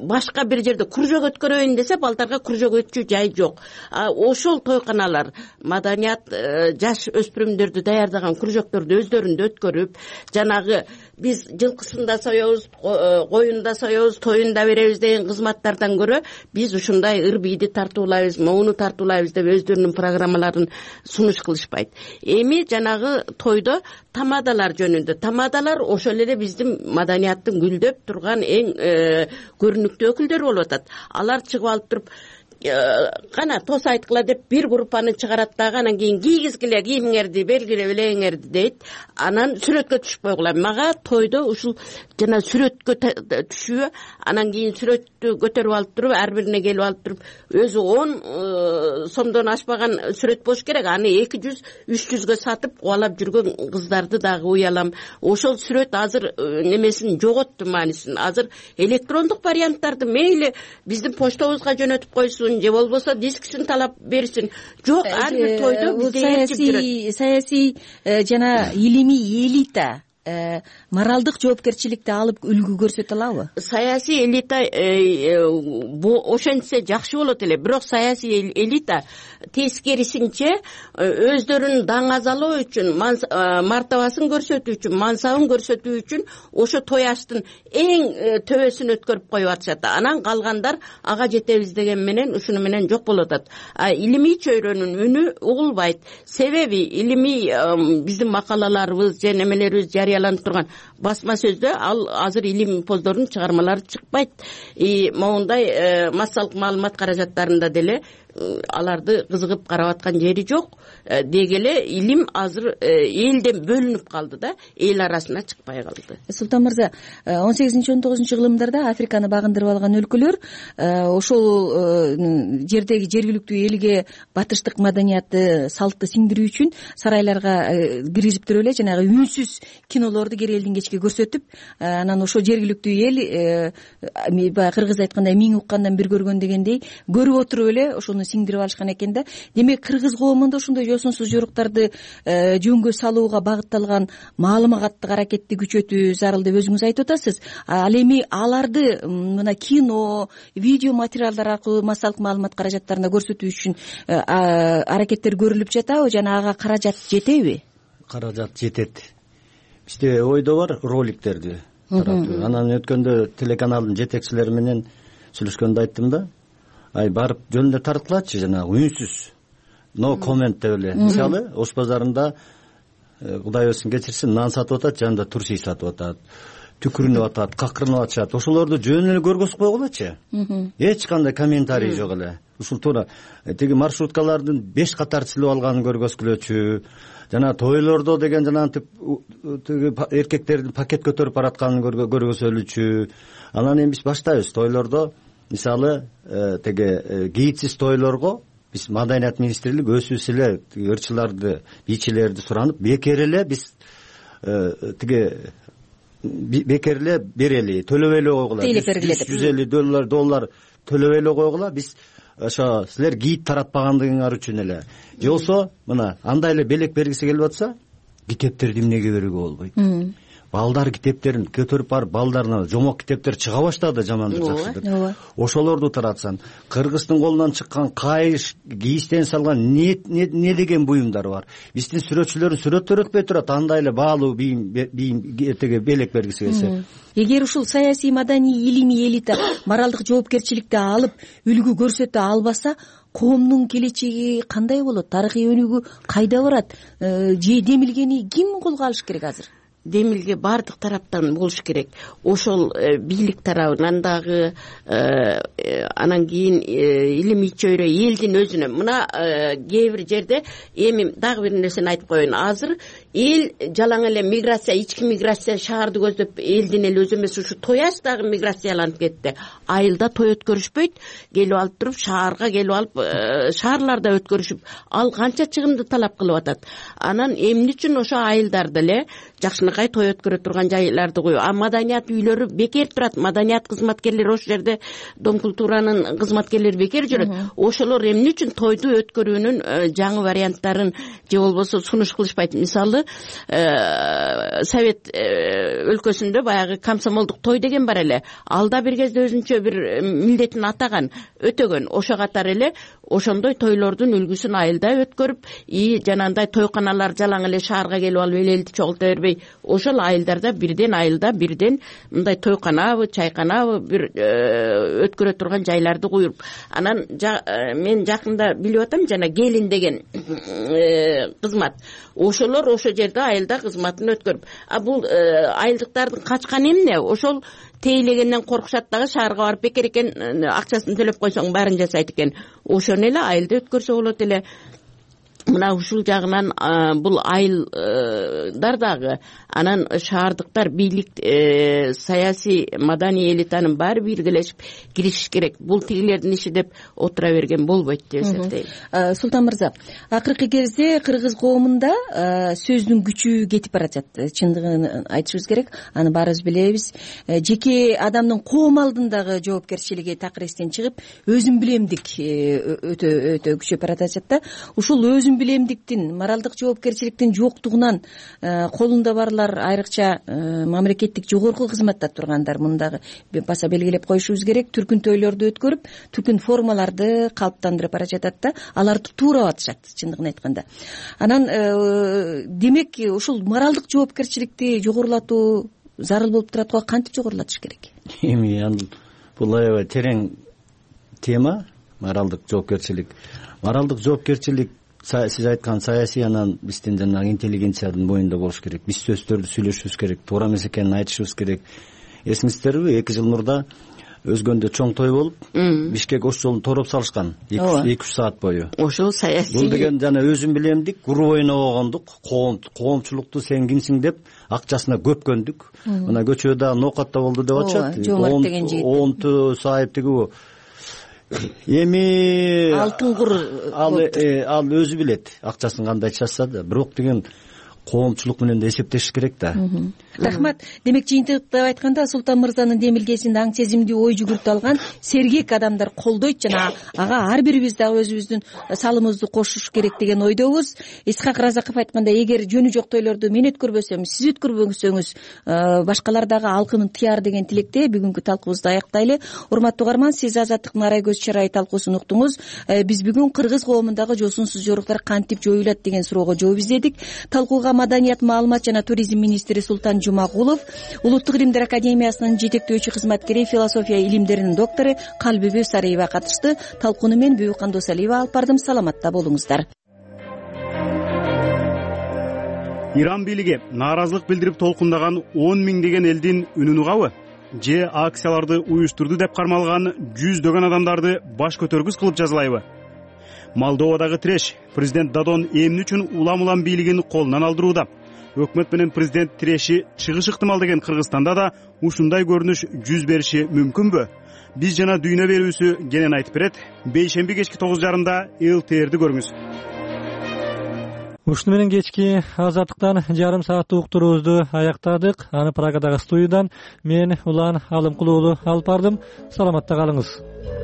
башка бир жерде кружок өткөрөйүн десе, балдарга кружок өтчү жай жок. Ошол тойканалар маданият жаш өспүрүмдөрдү даярдаган кружокторду өздөрүндө өткөрүп, жанагы биз жылкысында соебуз, коюнда соебуз, тоюнда беребиз деген кызматтардан көрө биз ушундай ыр бийди тартуулайбыз, моуну тартуулайбыз деп өздөрүнүн программаларын сунуш кылышпайт. Эми жанагы тойдо тамадалар жөнүндө. Тамадалар ошол эле биздин маданияттын гүлдөп турган эң көрүнүктүү өкүлдөрү болуп атат. Алар чыгып алып туруп кана тос айткыла деп бир группаны чыгарат дагы, анан кийин кийгизгиле кийимиңерди, белгиле белеңерди дейт. Анан сүрөткө түшүп койгула. Мага тойдо ушул жана сүрөткө түшүү, анан кийин сүрөттү көтөрүп алып туруп, ар бирине келип алып туруп, өзү он сомдон ашпаган сүрөт болуш керек. Аны эки жүз, үч жүзгө сатып кубалап жүргөн кыздарды дагы уялам. Ошол сүрөт азыр немесин жоготту, маанисин. Азыр электрондук варианттарды мейли биздин почтобузга жөнөтүп койсун, же болбосо дискисин талап берсин. Жок, ар бир тойдо бизде ээрчип жүрөт. Саясий жана илимий элита моралдык жоопкерчиликти алып үлгү көрсөтө алабы? Саясий элита ошентсе жакшы болот эле, бирок саясий элита тескерисинче өздөрүн даңазалоо үчүн, мартабасын көрсөтүү үчүн, мансабын көрсөтүү үчүн ошо той аштын эң төбөсүн өткөрүп коюп атышат. Анан калгандар ага жетебиз деген менен ушуну менен жок болуп атат. Илимий чөйрөнүн үнү угулбайт. Себеби илимий биздин макалаларыбыз же немелерибиз жарыяланып турган басма сөздө ал азыр илим поздордун чыгармалары чыкпайт. Моундай массалык маалымат каражаттарында деле аларды кызыгып карап аткан жери жок. Деги эле илим азыр элден бөлүнүп калды да, эл арасына чыкпай калды. Султан мырза, он сегизинчи он тогузунчу кылымдарда Африканы багындырып алган өлкөлөр ошол жердеги жергиликтүү элге батыштык маданиятты, салтты сиңдирүү үчүн сарайларга киргизип туруп эле жанагы үнсүз кинолорду кери элдин кечке көрсөтүп, анан ошо жергиликтүү эл баягы кыргыз айткандай миң уккандан бир көргөн дегендей көрүп отуруп эле ошону сиңдирип алышкан экен да. Демек кыргыз коомунда ошондой жосунсуз жоруктарды жөнгө салууга багытталган маалыматтык аракетти күчөтүү зарыл деп өзүңүз айтып атасыз. Ал эми аларды мына кино, видео материалдар аркылуу массалык маалымат каражаттарында көрсөтүү үчүн аракеттер көрүлүп жатабы жана ага каражат жетеби? Каражат жетет. Бизде ойдо бар роликтерди таратуу. Анан өткөндө телеканалдын жетекчилери менен сүйлөшкөндө айттым да, ай барып жөнүндө таратылачы жанагы үнсүз но коммент деп эле. Мисалы Ош базарында Кудай өзүн кечирсин, нан сатып атат, жанында турси сатып атат, түкүрүнүп атат, какырынып атышат. Ошолорду жөн эле көргөзүп койгулачы. Эч кандай комментарий жок эле. Ушул туура тиги маршруткалардын беш катар силип алганын көргөзгүлөчү, жана тойлордо деген жана антип тиги эркектердин пакет көтөрүп баратканын көргөзөлүчү. Анан эми биз баштайбыз тойлордо, мисалы тиги гидсиз тойлорго биз Маданият министрлиги өзүбүз эле ырчыларды, бийчилерди суранып, бекер эле биз тиги бекер эле берели, төлөбөй эле койгула. жүз элүү доллар доллар төлөбөй эле койгула. Биз ошо силер гид таратпагандыгыңар үчүн эле. Же болсо мына андай эле белек бергиси келип атса, китептерди эмнеге берүүгө болбойт? Балдар китептерин көтөрүп барып, балдарына жомок китептер чыга баштады, жамандыр жакшыдыр. Ошолорду таратсан, кыргыздын колунан чыккан кайыш, кийиштен салган не не деген буюмдар бар. Биздин сүрөтчүлөрүн сүрөттөр өтпөй турат, андай эле баалуу бийим бийим теге белек бергиси келсе. Эгер ушул саясий, маданий, илимий элита моралдык жоопкерчиликти алып, үлгү көрсөтө албаса, коомдун келечеги кандай болот? Тарыхый өнүгүү кайда барат? Же демилгени ким колго алыш керек азыр? Демилге бардык тараптан болуш керек. Ошол бийлик тарабынан дагы, анан кийин илимий чөйрө элдин өзүнө. Мына кээ бир жерде эми дагы бир нерсени айтып коеюн. Азыр эл жалаң эле миграция, ички миграция шаарды көздөп элдин эле өзү эмес, ушу тояс дагы миграцияланып кетти. Айылда той өткөрүшпөйт, келип алып туруп шаарга келип алып шаарларда өткөрүшүп, ал канча чыгымды талап кылып атат. Анан эмне үчүн ошо айылдарда эле жакшынакай той өткөрө турган жайларды коюп, а маданият үйлөрү бекер турат. Маданият кызматкерлери ошол жерде, Дом культуранын кызматкерлери бекер жүрөт. Ошолор эмне үчүн тойду өткөрүүнүн жаңы варианттарын же болбосо сунуш кылышпайт? Мисалы, Совет өлкөсүндө баягы комсомолдук той деген бар эле. Алда бир кезде өзүнчө бир милдетин атаган, өтөгөн. Ошо катар эле ошондой тойлордун үлгүсүн айылда өткөрүп, и жанагындай тойканалар жалаң эле шаарга келип алып элди чогулта бербей, ошол айылдарда бирден айылда бирден мындай тойканабы, чайканабы бир өткөрө турган жайларды куюп. Анан мен жакында билип атам, жана келин деген кызмат. Ошолор ошо жерде айылда кызматын өткөрүп. А бул айылдыктардын качканы эмне? Ошол тейлегенден коркушат дагы, шаарга барып бекер экен, акчасын төлөп койсоң баарын жасайт экен. Ошону эле айылда өткөрсө болот эле. Мына ушул жагынан бул айылдар дагы, анан шаардыктар, бийлик, саясий, маданий элитанын баары биргелешип киришиш керек. Бул тигилердин иши деп отура берген болбойт деп эсептейм. Султан мырза, акыркы кезде кыргыз коомунда сөздүн күчү кетип баратат. Чындыгын айтышыбыз керек. Аны баарыбыз билебиз. Жеке адамдын коом алдындагы жоопкерчилиги такыр эстен чыгып, өзүм билемдик өтө өтө күчөп баратат да. Ушул өзүм билемдиктин, моралдык жоопкерчиликтин жоктугунан колунда барлар, айрыкча мамлекеттик жогорку кызматта тургандар, мындагы баса белгилеп коюшубуз керек, түркүн тойлорду өткөрүп, түркүн формаларды калыптандырып бара жатат да, аларды туура атышат, чындыгын айтканда. Анан демек ушул моралдык жоопкерчиликти жогорулатуу зарыл болуп турат го, кантип жогорулатыш керек? Эми бул аябай терең тема, моралдык жоопкерчилик. Моралдык жоопкерчилик сиз айткан саясий, анан биздин жанагы интеллигенциянын боюнда болуш керек. Биз сөздөрдү сүйлөшүбүз керек, туура эмес экенин айтышыбыз керек. Эсиңиздерби, эки жыл мурда өзгөндө чоң той болуп Бишкек ош жолун тороп салышкан эки үч саат бою. Ошол саясий бул деген жана өзүм билемдик груп ойногондук, коомчулукту сен кимсиң деп акчасына көпкөндүк. Мына көчөдө ноокатта болду деп атышат. Жомарт деген жигит онту сайып тиги эми алтын кур ал ал өзү билет акчасын кандай чачса да, бирок деген коомчулук менен да эсептешиш керек да. Рахмат. Демек жыйынтыктап айтканда Султан мырзанын демилгесин аң сезимдүү ой жүгүртүп алган сергек адамдар колдойт жана ага ар бирибиз дагы өзүбүздүн салымыбызды кошуш керек деген ойдобуз. Исхак Разаков айткандай, эгер жөнү жок тойлорду мен өткөрбөсөм, сиз өткөрбөсөңүз, башкалар дагы алкынын тыяр деген тилекте бүгүнкү талкуубузду аяктайлы. Урматтуу угарман, сиз Азаттыктын Арай көз чырайы талкуусун уктуңуз. Биз бүгүн кыргыз коомундагы жосунсуз жоруктар кантип жоюлат деген суроого жооп издедик. Талкууга Маданият, маалымат жана туризм министри Султан Жумагулов, Улуттук илимдер академиясынын жетектөөчү кызматкери, философия илимдеринин доктору Калбибү Сариева катышты. Талкууну мен Бүбүкан Досалиева алып бардым. Саламатта болуңуздар. Иран бийлиги нааразылык билдирип толкундаган он миңдеген элдин үнүн угабы же акцияларды уюштурду деп кармалган жүздөгөн адамдарды баш көтөргүс кылып жазалайбы? Молдовадагы тиреш президент Дадон эмне үчүн улам-улам бийлигин колунан алдырууда? Өкмөт менен президент тиреши чыгыш ыктымал деген Кыргызстанда да ушундай көрүнүш жүз бериши мүмкүнбү? Биз жана дүйнө берүүсү кенен айтып берет. Бейшемби кечки тогуз жарымда эл ти эрди көрүңүз. Ушуну менен кечки Азаттыктан жарым сааттык уктуруубузду аяктадык. Аны Прагадагы студиядан мен Улан Алымкулуулу алып бардым. Саламатта калыңыз.